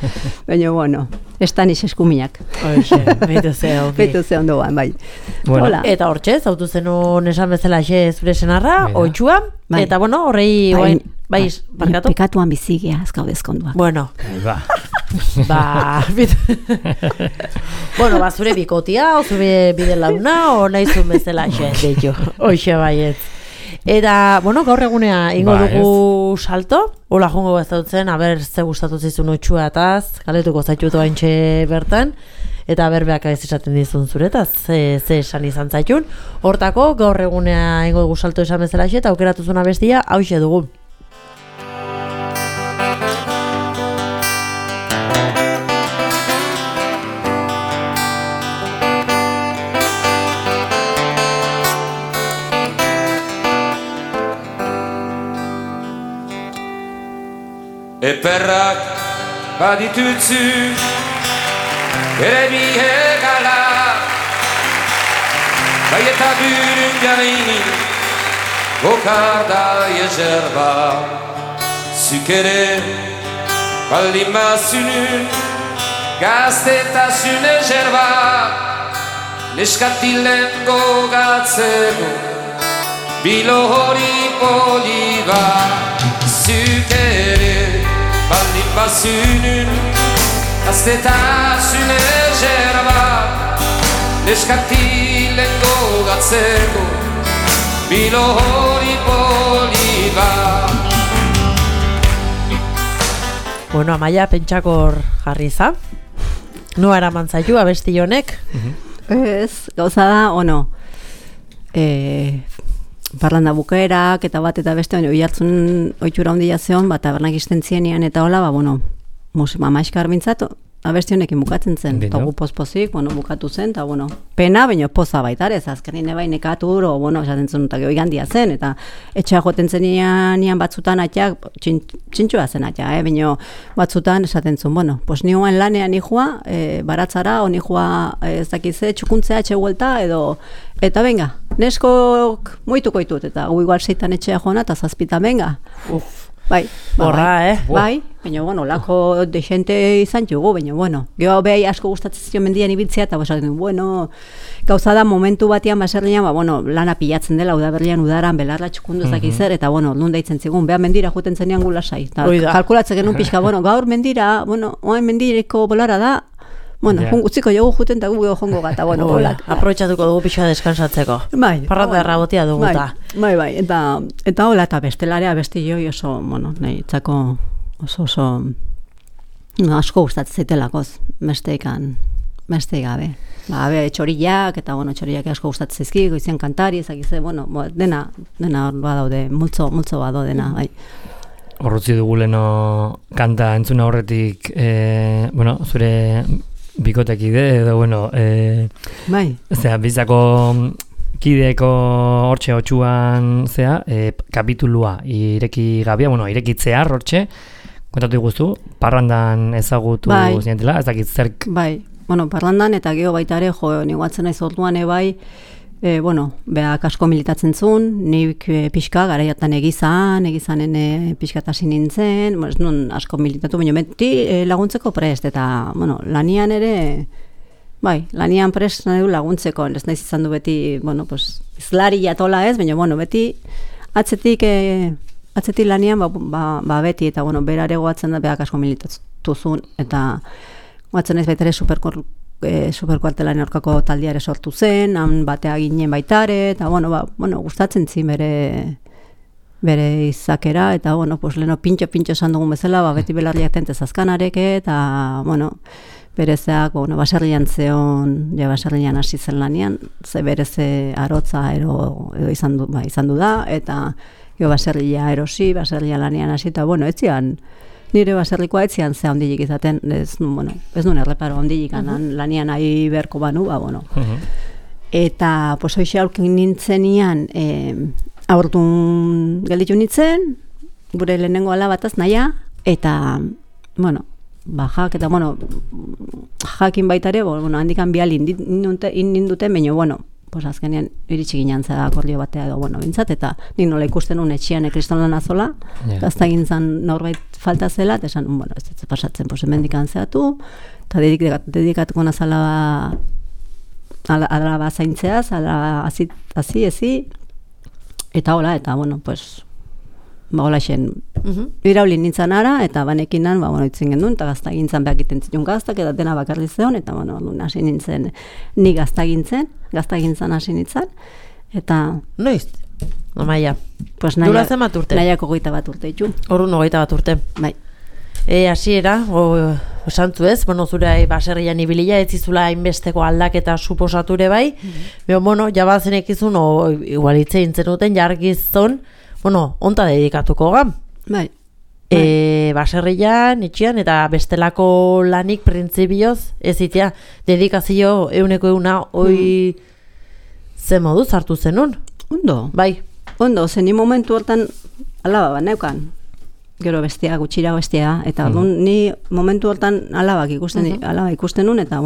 Speaker 3: Baina, bueno, estanix eskuminak. Beitu ze ondoan, bai.
Speaker 2: Eta hortxe, zautu zenun esan bezala zure senarra, oitxua, eta bueno, horrei, bai, barkatu?
Speaker 3: Pekatuan bizigea, ez gaudezkonduak.
Speaker 2: Bueno, bueno, zure bikotia, o zure bide launa, o nahizun bezala deitu, hoxe baiet. Eta, bueno, gaur egunea ingo dugu salto, hola jongo bezautzen, aber ze gustatu zizun otxua etaz, galetuko zaitutu haintxe bertan, eta berbeak ez esaten dizun zuretaz, ze esan izan zaitun. Hortako, gaur egunea ingo dugu salto esan bezala eta aukeratu zuna bestia, hauxe dugu.
Speaker 6: Eperrak baditutzu ere bihegala, bai eta bürün gaini bokarda yezerba, zuk ere baldin bazunun gaztetasun ezerba, neskatilen gogatzeko bilo hori poliba, zuk ere baldin bazunun gaztetasun ezerba, neskatilen gogatzeko bilo hori poliba.
Speaker 2: Bueno, Amaia, pentsakor jarri za. Noa eraman zaitu, abesti honek?
Speaker 3: Ez, gauza da, ono, parlando bukaerak eta bat eta beste, oihartzun oitura handia zeon, bat tabernak iztentzienian eta hola, bueno, mamaiskar bintzat, abesti honekin bukatzen zen, eta gu pospozik, bukatu zen, eta, pena, baina poza baitarez, azkenin ebai nekatur, esaten zuen, eta gehoigan dia zen, eta etxea joten zenian batzutan atiak, txintxua zen atiak, baina batzutan esaten zuen, nioen lanean nihua, baratzara, o nihua ez dakize, txukuntzea etxe huelta, eta venga, neskok moituko ditut, eta gu igual seitan etxea joana, eta zazpita, venga, bai,
Speaker 2: borra,
Speaker 3: bai, baina, lako de gente izan jugu, baina, geho behai asko gustatzen zion mendian ibiltzea, eta gauza da momentu batean baserrian, lana pilatzen dela, udaberrian udaran, belarra txukundu zakizer, eta, orduan deitzen zigun, beha mendira juten zenean gu lasai, kalkulatzen genuen pixka, gaur mendira, oain mendireko bolara da, utziko jogu juten eta gu jongo gata,
Speaker 2: aprobetxatuko dugu pixoa deskansatzeko.
Speaker 3: Bai.
Speaker 2: Parrata errabotia dugu eta.
Speaker 3: Bai, eta hola, eta bestelarea besti joi oso, nahi, itzako oso, asko gustatzen zaitelakoz, besteik gabe. Txoriak, eta, txoriak asko gustatzen zaizki, goizien kantari, ezakize, dena hor badaude, multzo bado dena, bai.
Speaker 1: Horrutzi dugu leno kanta entzuna horretik, zure bikotekide edo,
Speaker 3: bai.
Speaker 1: Bizako kideeko hortxe otxuan kapitulua ireki gabia, irekitzear hortxe, kontatu iguzu, parrandan ezagutu zinetela, ez dakit zerk.
Speaker 3: Bai, parrandan eta geho baita ere, niguatzen naiz orduan bai, beak asko militatzen zuen, nik pixka, garaiatan egizanen pixkatasi nintzen, ez nun asko militatu, baina beti laguntzeko prest, eta, lanian ere, lanian prest nahi du laguntzeko, ez naiz izan du beti, izlari jatola ez, baina, beti atzetik lanian, beti, eta, berare goatzen da, beak asko militatu zuen, eta goatzen naiz baita ere superkuartelan aurkako taldiare sortu zen, han batea ginen baitare, eta, gustatzen zin bere izakera, eta, leno pintxo esan dugun bezala, beti belarriak tentez azkanareke, eta, berezeak, baserrian zeon, baserrian hasi zen lanian, ze bereze arotza edo izan du da, eta baserria erosi, baserria lanian hasi, eta, etzian, nire baserrikoa etzian ze handilik izaten, ez nuen erreparo handilik lanian ahi berko banu, Eta, hoxe aurkin nintzenian, aurtun gelditu nintzen, gure lehenengo alabataz naia, eta, jak, eta, jakin baitare, handikan bihal indinduten, baina, azkenean iritsi ginen zera akordio batea edo, bintzat, eta nik nola ikusten un etxian kriston azola, gazta gintzan norbait falta zela, eta esan, ez dut pasatzen, hemendikan zehatu, eta dedikatuko nazala alaba zaintzeaz, alaba hazi, eta hola, eta, hola xen, iraulin nintzen ara, eta banekinan, itzen gendun, eta gaztagintzan behak iten zitun gaztak, eta dena bakarri zeon, eta, hasi nintzen, ni gaztagintzan hasi nintzen, eta...
Speaker 2: Noiz? Amaia.
Speaker 3: Dura zen bat urte? Nahiako 21 urte, itxu.
Speaker 2: Horun 21 urte.
Speaker 3: Bai.
Speaker 2: Hasiera, osantzu ez, zure baserrian ibilia, ez zizula hainbesteko aldaketa suposature bai, jabazen ekizun, igual hitze intzen duten, jargizton, onta dedikatuko gam.
Speaker 3: Bai.
Speaker 2: Baserrian, itxian, eta bestelako lanik printzibioz, ez itea, dedikazio euneko hoi ze moduz hartu zenun?
Speaker 3: Ondo.
Speaker 2: Bai.
Speaker 3: Ondo, zen ni momentu hortan alaba bat neukan. Gero bestia, gutxira bestia, eta ni momentu hortan alaba ikusten nun, eta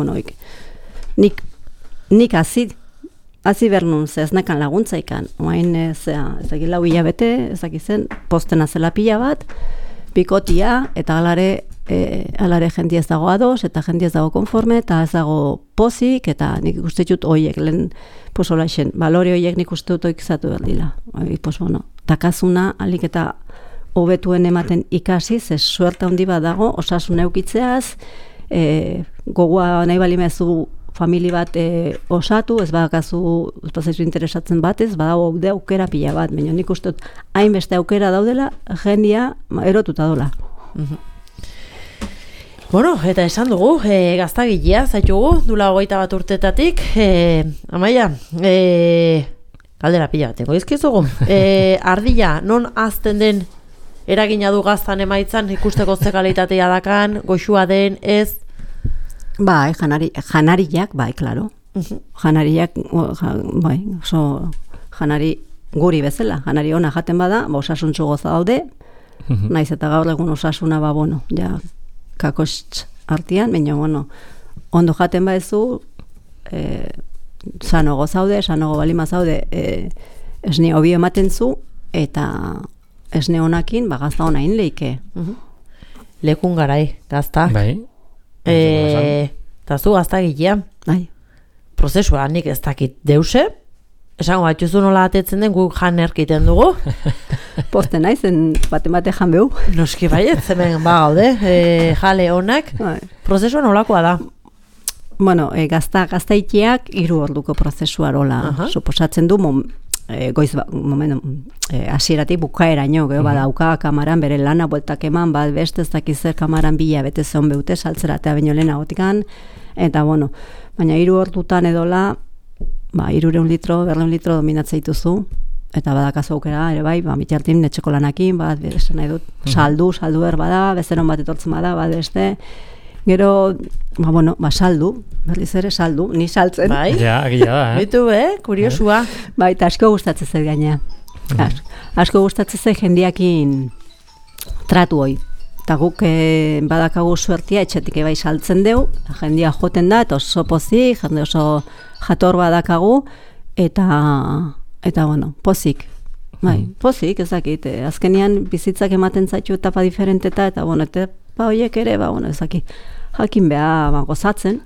Speaker 3: nik hazi bernun, ez nekan laguntza ikan. Oain, ezakit lau hilabete, ezakit zen, postena zela pila bat, pikotia, eta alare jendia ez dago ados, eta jendia ez dago konforme, eta ez dago pozik, eta nik ikuste dut horiek, lehen, hola esen, balore horiek nik uste dut oikizatu berdila. Takazuna, alik eta hobetuen ematen ikasi, ze suerta handi bat dago, osasun eukitzeaz, gogoa nahi balimezu famili bat osatu, ez badakazu, ez bazaizu interesatzen batez, badago aukera pila bat, baina nik uste dut hainbeste aukera daudela, jendia erotuta dola.
Speaker 2: Eta esan dugu, gaztagilea zaitugu, dula 21 urtetatik, Amaia, galdera pila bat, tengo izkizugu, ardila, non azten den eragina du gaztan emaitzan, ikusteko ze kalitatea dakan, goxua den, ez?
Speaker 3: Bai, janariak, bai, klaro. Janariak, bai, oso janari guri bezala, janari ona jaten bada, osasuntzu goza daude, naiz eta gaur egun osasuna, kakostz artian, baina, ondo jaten badezu, sanogo zaude, sanogo balima zaude, esne hobi ematen zu, eta esne honakin, gazta honain leike.
Speaker 2: Lekun garai, gazta.
Speaker 1: Bai.
Speaker 2: Eta zu gaztagilea.
Speaker 3: Bai.
Speaker 2: Prozesua nik ez dakit deuse, esango batxuzu nola atetzen den guk jan erkiten dugu.
Speaker 3: Poste naizen bate jan behu.
Speaker 2: Noski baiet, hemen gaude, jale honak. Prozesua nolakoa da?
Speaker 3: Gaztaiteak 3 orduko prozesua rola. Suposatzen du goiz hasieratik bukaeraino, gero badauka kamaran bere lana bueltak eman, bat beste ez dakiz zer kamaran bila bete zeon beute saltzera eta baino lehenagotikan, eta baina 3 ordutan edola, 300 litro, 400 litro dominatzea dituzu, eta badakazu aukera ere bai, bitartin etxeko lanakin, esan nahi dut, saldu bada, bezeron bat etortzen bada, beste, gero, saldu, berriz ere saldu, ni saltzen.
Speaker 2: Bai,
Speaker 1: agia da,
Speaker 2: Bitu, kuriosua.
Speaker 3: Bai, eta asko gustatzen zait gaina. Asko gustatzen zait jendiakin tratu hoi. Eta guk badakagu suertia etxetik bai saltzen deu, jendia joten da, eta oso pozik, jende oso jator badakagu, eta pozik. Bai, pozik, ezakit, azkenean bizitzak ematen zaitu etapa diferenteta, eta etapa horiek ere, ezakit, jakin beha gozatzen,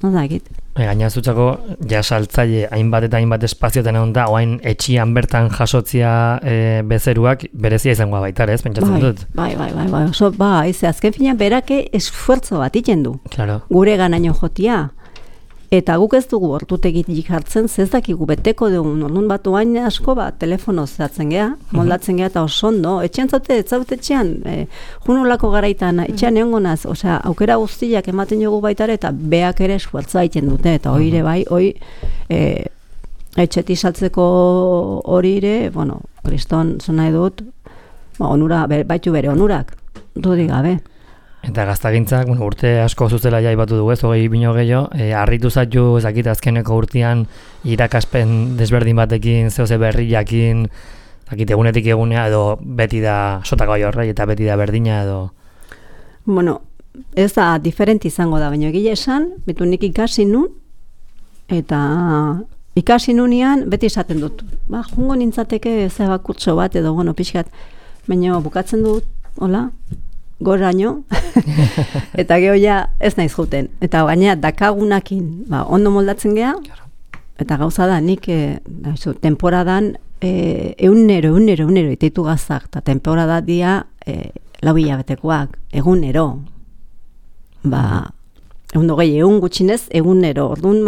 Speaker 3: ezakit.
Speaker 1: Gaina zutzako, saltzaile hainbat eta hainbat espazioetan egon da, oain etxian bertan jasotzia bezeruak berezia izangoa baita, ez, pentsatzen dut?
Speaker 3: Bai, oso, azken fina berake esfuerzo bat iten du.
Speaker 1: Claro.
Speaker 3: Gure ganaino jotia. Eta guk ez dugu hortutegitik hartzen, ez dakigu beteko dugun, orduan bat oain asko telefono zehatzen geha, moldatzen geha eta oso ondo, etxean zaute, etxean, junolako garaitan, etxean egon gonaz, osea, aukera guztiak ematen jogu baitare, eta beak ere esfuertza egiten dute, eta hori bai, etxeti saltzeko hori ere, kriston zona edut, baitu bere onurak, dudik gabe.
Speaker 1: Eta gaztagintzak, urte asko zuzela jaibatu dugu ez, 20 bino gehiago, harritu zaitu ezakit azkeneko urtean irakaspen desberdin batekin, zehose berriakin, ezakit egunetik egunea, edo beti da sotako horrei eta beti da berdina edo...
Speaker 3: Ez da diferenti izango da, baina egile esan, betu nik ikasi nun, eta ikasi nunean beti esaten dut. Jungo nintzateke zebakurtso bat edo, pixkat, baina bukatzen dut, hola, goraino, eta geho ja ez naiz juten. Eta baina dakagunakin ondo moldatzen geha, eta gauza da, nik temporadan egunero iteitu gazak, eta temporada dia 4 hilabetekoak, egunero. Egun dogei, egun gutxinez, egunero. Orduan,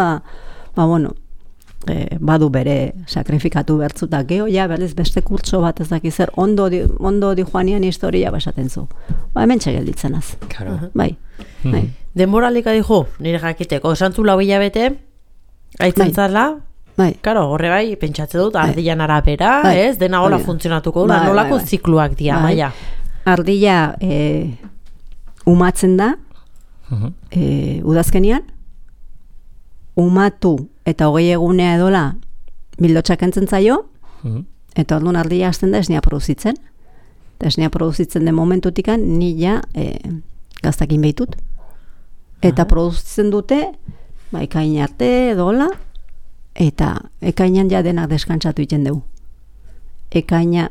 Speaker 3: badu bere sakrifikatu bertzuta geho, berriz beste kurtso bat ez daki zer, ondo di joanian historia basaten zu. Hemen txegelditzen az. Bai.
Speaker 2: Denboralika dijo, nire jakiteko, esantzu 4 hilabete, aitzen zala, karo, horre bai, pentsatze dut, ardian arabera, ez, dena hola funtzionatuko, nolako zikluak dia, maia.
Speaker 3: Ardila umatzen da, udazkenian, umatu eta 20 egunea edola bildotxak entzen zaio, eta orduan ardila hasten da esnea produzitzen. Eta esnea produzitzen den momentutikan nila gaztakin behitut. Eta produzitzen dute, ekain arte edola, eta ekainan ja denak deskantzatu iten dugu. Ekaina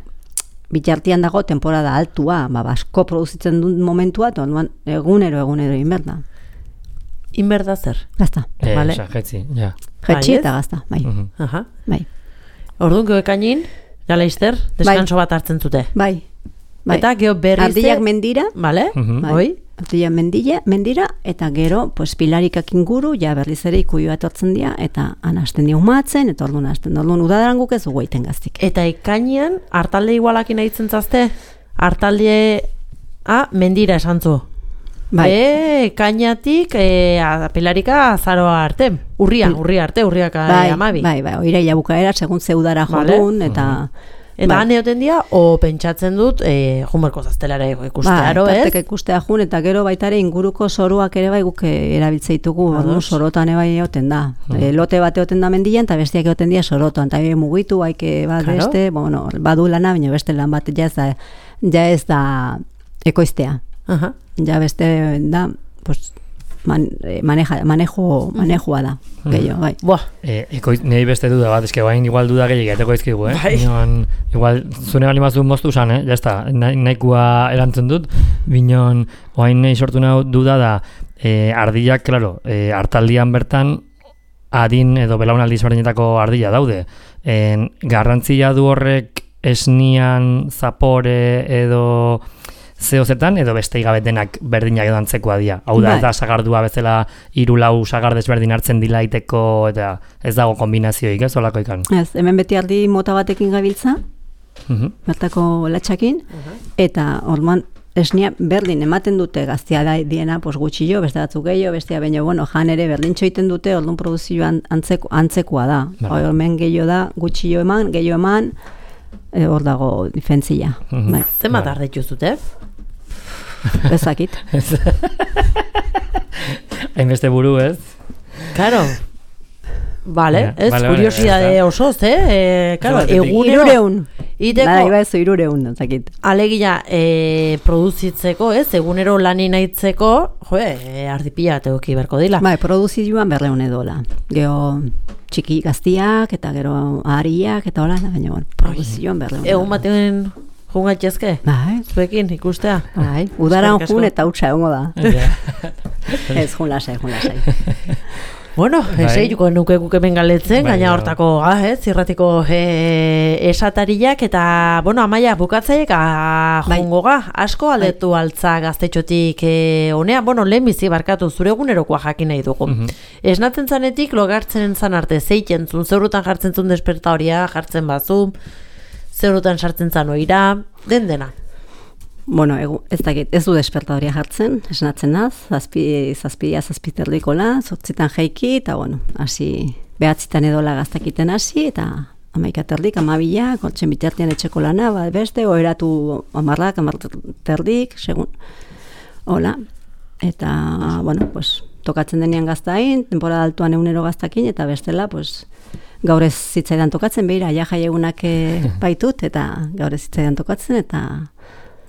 Speaker 3: bitartian dago temporada altua, basko produzitzen duen momentua, eta orduan egunero inberda.
Speaker 2: Inberda zer?
Speaker 3: Gazta.
Speaker 1: Jetzi, ja.
Speaker 3: Jetzi eta gazta, bai.
Speaker 2: Orduan geho ekainin, jala izter, deskanso bat hartzen zute.
Speaker 3: Bai.
Speaker 2: Eta geho berriz...
Speaker 3: Ardillak mendira.
Speaker 2: Bale, oi?
Speaker 3: Ardillak mendira, eta gero, pilarikak inguru, berriz ere ikuioa etortzen dira, eta anasten dira umatzen, eta orduan hasten. Orduan udadaran guk ez dugu egiten gaztik.
Speaker 2: Eta ekainean, hartalde igualakin aitzen zazte? Hartalde... mendira esantzu. Kainatik pilarika azaroa arte, urriak amabi.
Speaker 3: Bai, iraila bukaera, segun zeudara jodun, eta...
Speaker 2: Eta han egoten dira, o pentsatzen dut, junberko zaztelare ikustearo, ez?
Speaker 3: Tarteka ikustea jun, eta gero baitare inguruko soruak ere bai guk erabiltzeitugu, sorotan bai egoten da. Lote bat egoten da mendian, eta bestiak egoten dira sorotan, eta mugitu, haike bat beste, badu lana, baina beste lan bat ja ez da ekoiztea. Ja beste da, manejua da, gehiago, bai.
Speaker 1: Nei beste duda bat, eske bain igual duda gehiago eteko izkigu, igual, zune bali mazu moztu zan, jazta, nahikoa erantzen dut, binon, oain nahi sortu nahi duda da, ardillak, klaro, hartaldian bertan, adin edo belaunaldi ezberdinetako ardilla daude. Garrantzia du horrek esnian, zapore edo... zehozetan, edo beste igabetenak berdinak edo antzekoa dira. Hau da, ez da sagardua bezala 3-4 sagar desberdin hartzen dilaiteko, eta ez dago kombinazioik, ez olako ikan?
Speaker 3: Ez, hemen beti ardi mota batekin gabiltza, bertako latxakin, eta orduan esnia berdin ematen dute gaztia da diena, pues gutxillo, beste batzuk gehiago, bestea baino, bueno, jan ere berdintxo egiten dute, orduan produzioan antzekoa da. Hemen gehiago da, gutxillo eman, gehiago eman, hor dago difentzia.
Speaker 2: Zenbat ardetxu zute?
Speaker 3: Ezakit.
Speaker 2: Hainbeste
Speaker 1: buru, ez?
Speaker 2: Claro. Vale, ez, kuriosidade osoz, claro, egunero...
Speaker 3: Irureun, ezakit.
Speaker 2: Alegia, produzitzeko, ez, egunero lani nahitzeko, ardipila tegoki berko dila.
Speaker 3: Produzioan 200 edola. Gero txiki gaztiak, eta gero ahariak, eta hola, baina produzioan 200 edola.
Speaker 2: Egun batean jungatxezke? Zuekin, ikustea?
Speaker 3: Udara jun eta utxa egongo da. Ez, jun lasai.
Speaker 2: Bueno, juko nuke hemen galetzen, gaina hortako zirratiko esatariak, eta, bueno, Amaia, bukatzaiek jongo asko aldetu altza gaztetxotik honea, bueno, lehen bizi barkatu zure egunerokoa jakin nahi dugu. Esnatzen zanetik, logartzen zan arte, zeiten zun, zeurutan jartzen zun despertadoria, jartzen bazu, zeurutan sartzen zan oira, dena.
Speaker 3: Bueno, ez dakit, ez du despertadoria jartzen, esnatzen naz, zazpiterdikola, 8 jaiki, eta bueno, hasi, 9 edola gaztakiten hasi, eta 11 amabila, kontzen bitartean etxeko lana, beste, oeratu 10 segun, hola, eta, bueno, pues, tokatzen denean gaztain, temporada altuan egunero gaztakin, eta bestela, pues, gaur ez zitzaidan tokatzen, behira, jai egunak baitut, eta gaur ez zitzaidan tokatzen,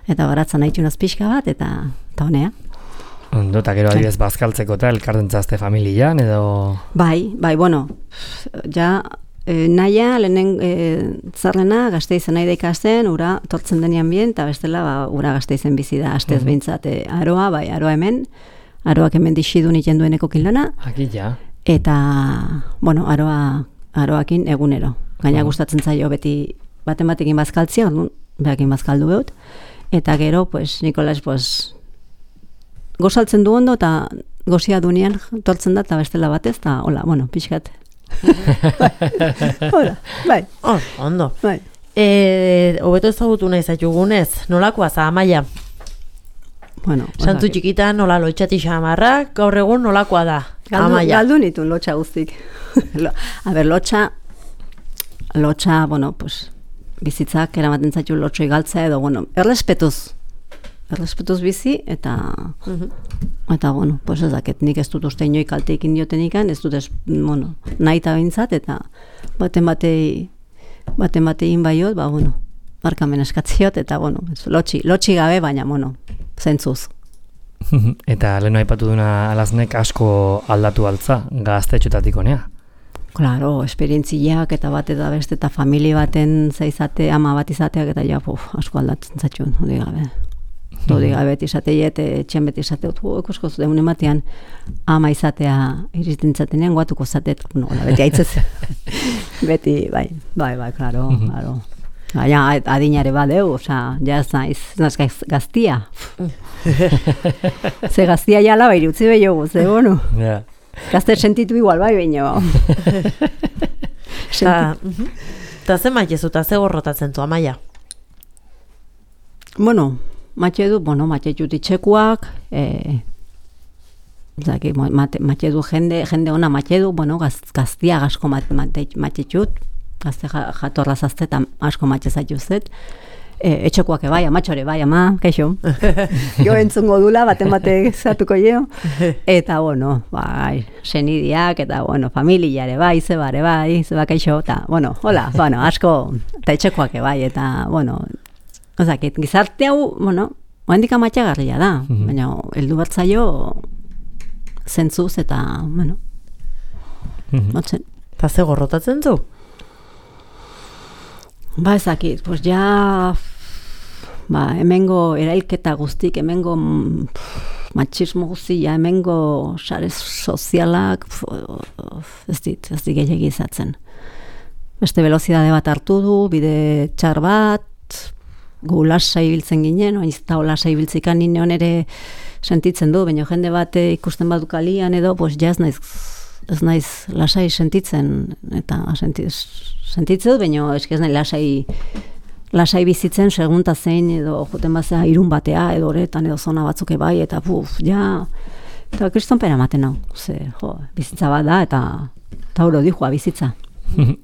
Speaker 3: eta baratzen nahi txunaz pixka bat, eta honea.
Speaker 1: Ondo, eta gero adibidez bazkaltzeko eta elkartentzazte familian, edo...
Speaker 3: Bai, bueno, ja, naia, lehenen zarrena, Gasteizen nahi da ikasten, ura tortzen denean bien, eta bestela, ura Gasteizen bizi da, astez behintzat, aroa, bai, aroa hemen, aroak hemen dixidun iten dueneko kilana.
Speaker 1: Aki, ja.
Speaker 3: Eta, bueno, aroakin egunero. Gaina gustatzen zaio beti baten bazkaltzia, behakin bazkaldu behut. Eta gero, pues, Nikolas, pues, gozaltzen du ondo, eta gozia dunean tortzen da, eta bestela batez, eta hola, bueno, pixkat. Hola, bai.
Speaker 2: Ondo.
Speaker 3: Bai.
Speaker 2: Hobeto ezagutu nahi zaitugunez, nolakoa za, Amaia?
Speaker 3: Bueno,
Speaker 2: santu txikitan, nola lotxati xamarrak, gaur egun nolakoa da, Amaia?
Speaker 3: Galdu nitun lotxa guztik. A ber, lotxa, bueno, pues, bizitzak eramaten zaitu lotxoi galtza edo, bueno, errespetuz bizi, eta bueno, pues ez daket, nik ez dut uste inoik kalteik indiotenikan, ez dut bueno, nahi eta bintzat, eta baten batein baiot, bueno, barkamen eskatziot, eta bueno, lotxi gabe, baina, bueno, zentzuz.
Speaker 1: Eta leheno aipatu duna alaznek asko aldatu altza, gaztetxotatik honea.
Speaker 3: Claro, esperientziak eta bat eta beste eta familie baten zaizate, ama bat izateak eta ja, asko aldatzen zatxun, hori gabe izateiet, etxen beti izateut, ikusko zuten ematean ama izatea iristen zatenean, guatuko zatet, beti haitzez, beti, bai, claro. Ja, adinare badeu, oza, ja ez naiz gaztia. Ze gaztia jala bai utzi behiogu, ze bono. Gazte sentitu igual bai baino.
Speaker 2: Eta ze maitezu, eta ze gorrotatzen zu, Amaia?
Speaker 3: Bueno, matxetu ditxekuak, matxetu jende ona matxetu, bueno, gaztia asko matxetut, gazte jatorra zazte eta asko matxezatu zet. Etxekoak bai, amatxore bai, ama, kaixo. Jo entzungo dula, baten zatuko jo. Eta, bueno, bai, senidiak, eta, bueno, familiare bai, zebare bai, zeba kaixo, eta, bueno, hola, bueno, asko, eta etxekoak bai, eta, bueno, ozakit, gizarte hau, bueno, oendik amatxagarria da, baina, heldu bertzaio zentzuz, eta, bueno, motzen.
Speaker 2: Eta ze gorrotatzen zu?
Speaker 3: Ba, ezakit, pues ja, hemengo erailketa guztik, hemengo matxismo guztia, hemengo sare sozialak, ez dit gehiagizatzen. Beste velozidade bat hartu du, bide txar bat, gu lasa ibiltzen ginen, oin eta lasa ibiltzikan ninen ere sentitzen du, baina jende bat ikusten bat dukalian edo, pues ja ez naiz lasai sentitzen, eta sentitzen dut, baina ez nahi lasai lasai bizitzen segunta zein edo joten bazea irun batea edo horretan edo zona batzuk bai eta eta kristonpera ematen hau. Bizitza bat da eta hori dijua bizitza.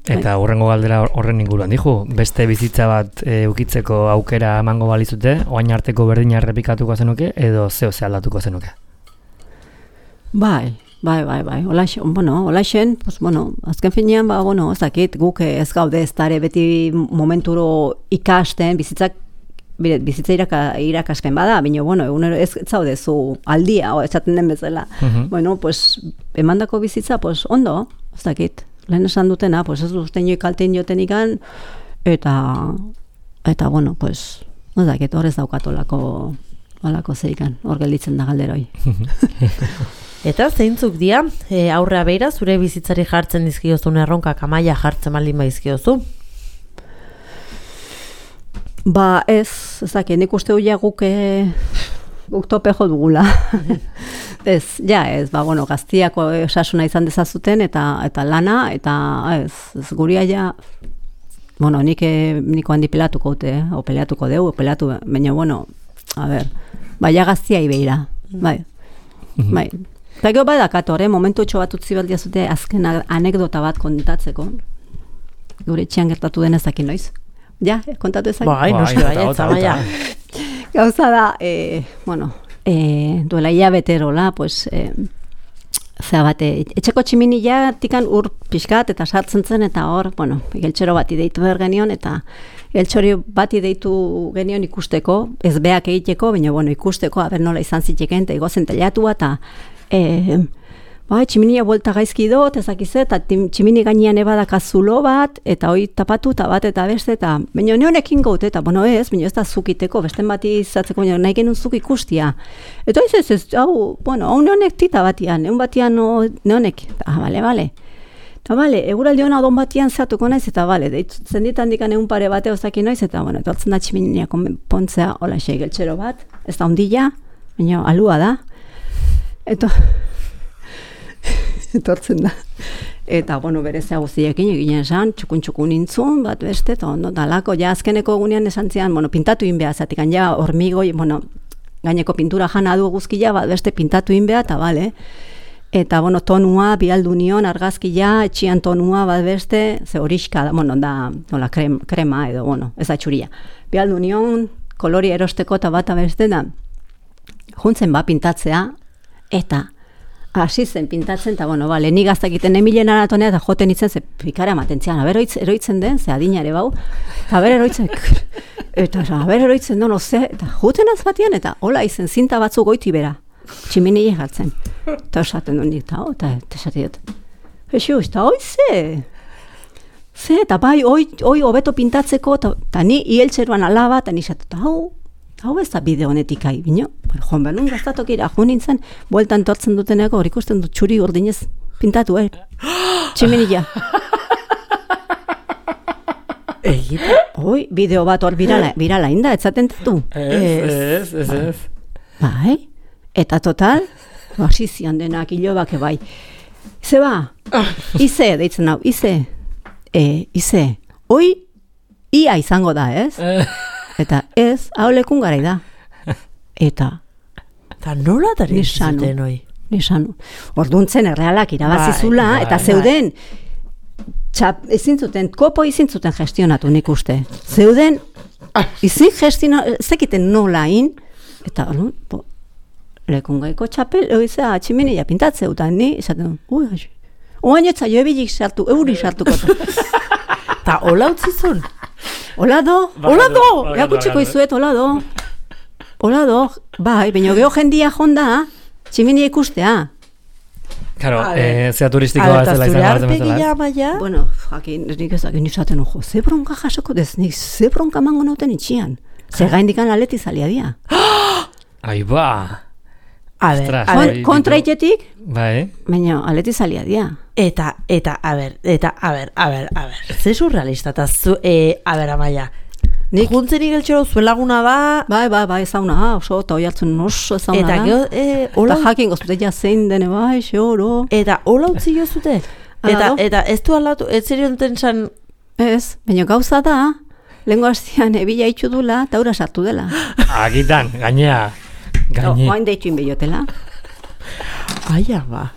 Speaker 1: Eta hurrengo galdera horren inguruan dijo, beste bizitza bat ukitzeko aukera emango balizute, oain arteko berdina errepikatuko zenuke edo zeo aldatuko zenuke?
Speaker 3: Bai. Olaixen, azken finean, ez dakit, guk ez gaude ez dare beti momenturo ikasten, bizitza irakaspen bada, baina, egunero ez zaude zu aldia, esaten den bezala. Emandako bizitza, ondo, ez dakit, lehen esan dutena, ez duzten joi kaltein joten ikan, eta, ez dakit, hor ez daukat olako zeikan, hor gelditzen da galderoi.
Speaker 2: Eta zeintzuk dia, aurrea beira, zure bizitzari jartzen dizkiozun erronkak Amaia jartzen baldin baizkiozu?
Speaker 3: Ez dakit, nik uste huia guk topejo dugula. Gaztiako osasuna izan dezazuten eta lana, eta guria niko handi pelatuko dute, o peleatuko deu, baina, baina gaztia ibeira, bai. Eta gero badakator, momentu etxo bat utzi bat diazute azken anekdota bat kontatzeko. Gure etxean gertatu den ezakin noiz. Ja, kontatu ezak?
Speaker 2: Baina.
Speaker 3: Gauza da, duela hilabeterola, etxeko tximinila tikan ur pixkat eta sartzen zen, eta hor, geltxero bati deitu behar genion, eta geltxori bati deitu genion ikusteko, ez beak egiteko, baina ikusteko, haber nola izan zitekeen, eta igozen telatua, eta tximinia buelta gaizki dut, ezakize, eta tximini gainean ebadak azulo bat, eta hoi tapatu, eta bat, eta beste, eta baina neonekin gaut, eta baina ez da zukiteko, besten bati izatzeko, baina nahi genuen zuk ikustia. Eta hau neonek tita batian, neon batian neonek, bale. Eta eguraldi hona odon batian zehatuko naiz, eta zenditan dikan egun pare bate ozakin noiz, eta etortzen da tximinia pontzea, hola geltxero bat, ez da ondila, baina alua da. Eta etortzen da. Eta, berezea guztiekin eginen esan, txukun intzun, bat beste, eta ondo, dalako, azkeneko egunean esan zian, pintatu inbea, zatik, hormigoi, gaineko pintura jana du guzkia, bat beste pintatu inbea, eta bale. Eta, tonua, bialdu nion, argazkia, etxian tonua, bat beste, ze horiska, da, krema edo, ez da txuria. Bialdu nion, kolori erosteko, eta bat beste, da, juntzen pintatzea, eta hasi zen pintatzen, eta nik gaztak egiten emilen aratonea, eta joten itzen, ze pikara ematen zian, eroitzen den, ze adinare bau, eta eroitzen den, eta joten azbatian, eta hola izen, zinta batzu goiti bera, tximini jartzen, eta esaten duen dik, eta esaten dut, eta hoi ze, eta bai, hoi hobeto pintatzeko, eta ni ieltzeruan alaba, eta nisatzen, hau ez da bideo honetik bino, joan behar gaztatokira, joan nintzen, bueltan tortzen duteneko, hor ikusten dut txuri urdinez pintatu, tximinila. Hoi, bideo bat hor birala inda, etzaten tatu.
Speaker 1: Ez.
Speaker 3: Bai, eta total, hasi zian denak, hilobake bai. Ize ize, deitzen hau, ize, hoi, ia izango da, ez? Eta ez, hau lekun garai da. Eta
Speaker 2: nola tari zuten hoi?
Speaker 3: Nisanu. Orduntzen errealak irabazizula, eta zeuden, ezin zuten, kopo ezin zuten gestionatu nik uste. Zeuden, ezin gestionatu, zekiten nolain, eta lekun gaiko txapel, tximinila pintatzeu, eta ni, esaten, oain etza jo ebilik sartu, euri sartuko.
Speaker 2: Eta hola utzizun?
Speaker 3: Hola do, erakutxeko izuet, hola do, bai, baina geho jendia jonda, tximinia ikustea.
Speaker 1: Claro, zea turistikoa ez dela izan gartzen bezala.
Speaker 3: Bueno, jakin, nik ezakin izaten ojo, ze bronka jasoko dez, nik ze bronka mango nauten itxian. Ze gaindikan aleti zalia dia.
Speaker 1: Ai ba!
Speaker 3: Kontra itetik,
Speaker 1: bai.
Speaker 3: baina aleti zalia dia.
Speaker 2: Eta, a ber, ze surrealista, eta Amaia, juntzen igeltxero zuen laguna da...
Speaker 3: Bai, ezauna, oso, eta hoi hartzen oso ezauna da. Eta jakin gozute jazein dene bai, xoro.
Speaker 2: Eta hola utzi jozute? Eta ez du alatu, ez zerion tensan...
Speaker 3: Ez, baina gauza da, Lengo hastian ebila itxu dula, eta ura sartu dela.
Speaker 1: Agitan, gainea.
Speaker 3: Oain deitu inbeiotela.
Speaker 2: Aia ba,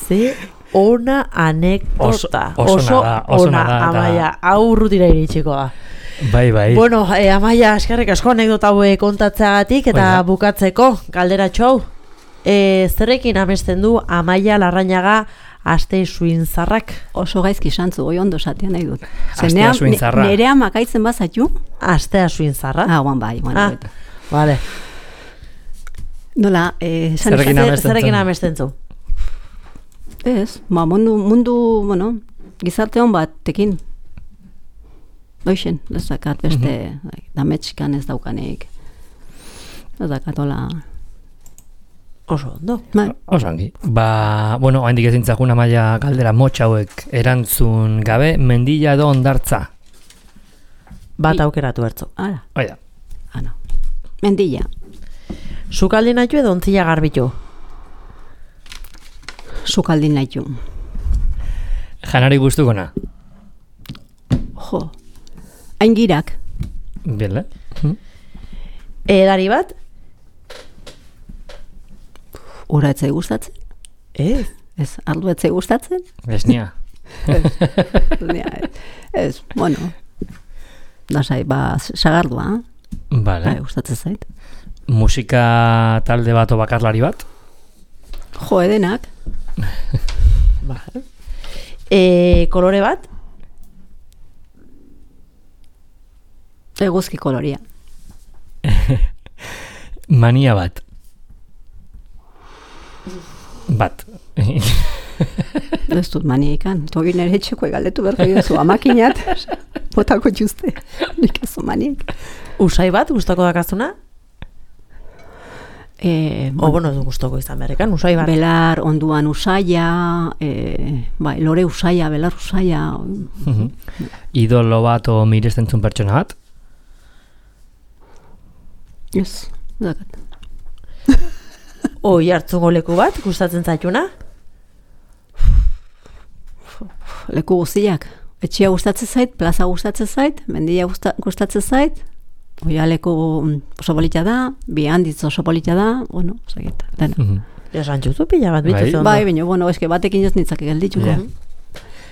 Speaker 2: ze ona anekdota.
Speaker 1: Oso nada.
Speaker 2: Amaia, hau urrutira iritsiko da.
Speaker 1: Bai.
Speaker 2: Bueno, Amaia, eskerrik asko anekdota hauek kontatzeagatik eta bukatzeko, galderatxo hau. Zerrekin amesten du Amaia Larrañaga Aste Suinzarrak?
Speaker 3: Oso gaizki santzu, oi ondo esatea nahi dut.
Speaker 1: Astea Suinzarra.
Speaker 3: Nerea makaitzen bazaitu?
Speaker 2: Astea Suinzarra?
Speaker 3: Guan bai.
Speaker 2: Vale.
Speaker 3: Nola,
Speaker 2: zerrekin amesten zu?
Speaker 3: Ez, mundu, bueno, gizarte hon batekin. Doixen, ez dakat beste, dametxikan ez daukanik. Ez dakat, hola...
Speaker 2: Oso ondo.
Speaker 1: Oso ongi. Bueno, oaindik ezintzakun Amaia galdera motxa hauek erantzun gabe, Mendilla edo Hondartza?
Speaker 2: Bat aukeratu hartzu.
Speaker 1: Oida.
Speaker 3: Mendilla.
Speaker 2: Sukaldin naitu edo ontzila garbitu?
Speaker 3: Sukaldin naitu.
Speaker 1: Janari guztukona?
Speaker 3: Jo, hain girak.
Speaker 1: Bile.
Speaker 2: Edari bat?
Speaker 3: Ura etzai gustatzen? Ez, ardu etzai gustatzen?
Speaker 1: Esnia.
Speaker 3: Ez, bueno. Dasai, sagardua.
Speaker 1: Vale.
Speaker 3: Gustatzen zait.
Speaker 1: Musika talde bat o bakarlari bat?
Speaker 3: Jo, edenak.
Speaker 2: Vale. Kolore bat?
Speaker 3: Eguzki koloria.
Speaker 1: Mania bat? Bat.
Speaker 3: Ez dut maniaikan. Togi nire etxeko egaldetu berko jozu amakinat. Botako txuste. Nik ez du maniaik.
Speaker 2: Usai bat gustoko dakazuna? Bueno, ez gustoko izan berrekan, usai bat.
Speaker 3: Belar onduan usaia, lore usaia, belar usaia.
Speaker 1: Idolo bat o mirestentzun pertsona bat?
Speaker 3: Ez, dakat.
Speaker 2: Oi hartzungo leku bat, gustatzen zaituna?
Speaker 3: Leku guztiak. Etxea gustatzen zait, plaza gustatzen zait, Mendilla gustatzen zait, oia leku oso polita da, bi handitz oso polita da, bueno, segit, dena.
Speaker 2: Esan txuzu pila bat bituzu ondo.
Speaker 3: Bai, baina, bueno, eske batekin ez nitzak gelditzuko.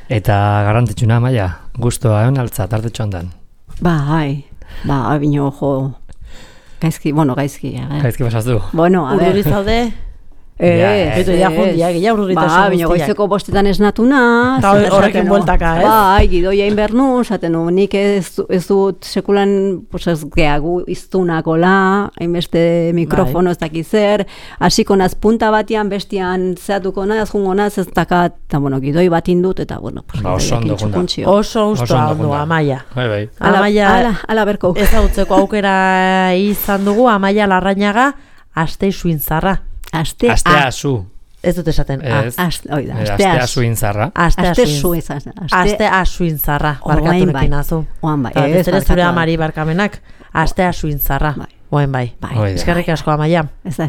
Speaker 1: Eta garrantzitsuna, Amaia, gustoa egon altza, tartetxo handan?
Speaker 3: Bai, baina, jo, gaizki.
Speaker 1: Gaizki pasaztu.
Speaker 3: Bueno, a ver.
Speaker 2: Urruri zaude? Beto ja jundia, gila urruritasun guztiak.
Speaker 3: Baina goizeko bostetan esnatuna.
Speaker 2: Horrekin bueltaka, ez?
Speaker 3: Bai, gidoia inbernu, zaten nik ez dut sekulan, pues ez geagu iztunakola, hainbeste mikrofono ez dakizer, hasiko naz punta batian, bestian zeatuko naz, jungo naz, ez dakat, eta bueno, gidoi bat indut, eta bueno, pues
Speaker 1: oso ondo junda.
Speaker 2: Oso ondo, Amaia.
Speaker 1: Bai.
Speaker 3: Ala berko.
Speaker 2: Ezagutzeko aukera izan dugu, Amaia Larrañaga, Aste Suinzarra.
Speaker 1: Astea zu.
Speaker 2: Ez dut esaten.
Speaker 1: Astea Suinzarra.
Speaker 2: Astea Suinzarra. Barkaturekin azu.
Speaker 3: Oan bai.
Speaker 2: Ez ere zure amari barkamenak. Astea Suinzarra. Oen bai. Eskerrik asko, Amaia.
Speaker 3: Ez da.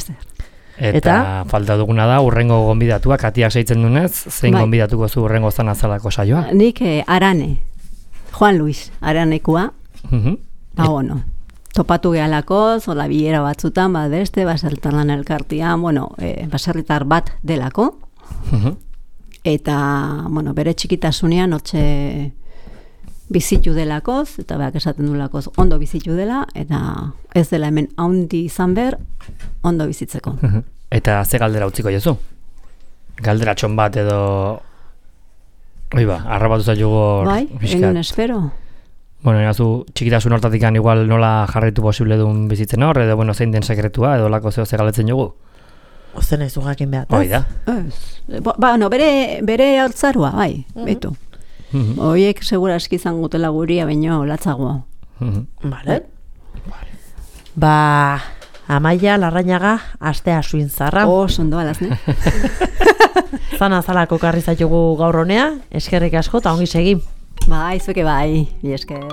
Speaker 1: Eta falta duguna da, urrengo gonbidatuak, atiak seitzen dunez, zein gonbidatuko zu urrengo zanazalako saioa?
Speaker 3: Nik Arane. Juan Luis, Aranekua. Bueno. Topatu gehalako, zola bilera batzutan, beste, baserritarlan elkartian, bueno, baserritar bat delako. Eta, bueno, bere txikitasunean, hotxe bizitu delakoz, eta beak esaten dulakoz, ondo bizitu dela, eta ez dela hemen haundi izan ber, ondo bizitzeko.
Speaker 1: Eta ze galdera utziko jozu? Galderatxon bat edo... Oiba, arrabatu zailugo...
Speaker 3: Bai, engun espero.
Speaker 1: Bueno, erazu, txikitasun hortatik igual nola jarraitu posible duen bizitzen hor, edo, bueno, zein den sekretua, edo lako zeo zegaletzen jogu?
Speaker 2: Ozen ez du jakin behar.
Speaker 1: Hoi da.
Speaker 3: No, bere hortzarua, bai, betu. Oiek segura eski izan gutela guria, baino latzagoa.
Speaker 2: Vale. Amaia Larrañaga, Astea Suinzarra.
Speaker 3: Sondo alaz, ne?
Speaker 2: Zana zalako karri zaitugu gaur honea, eskerrik asko, eta ongi segi.
Speaker 3: Bai, zueke bai, esker.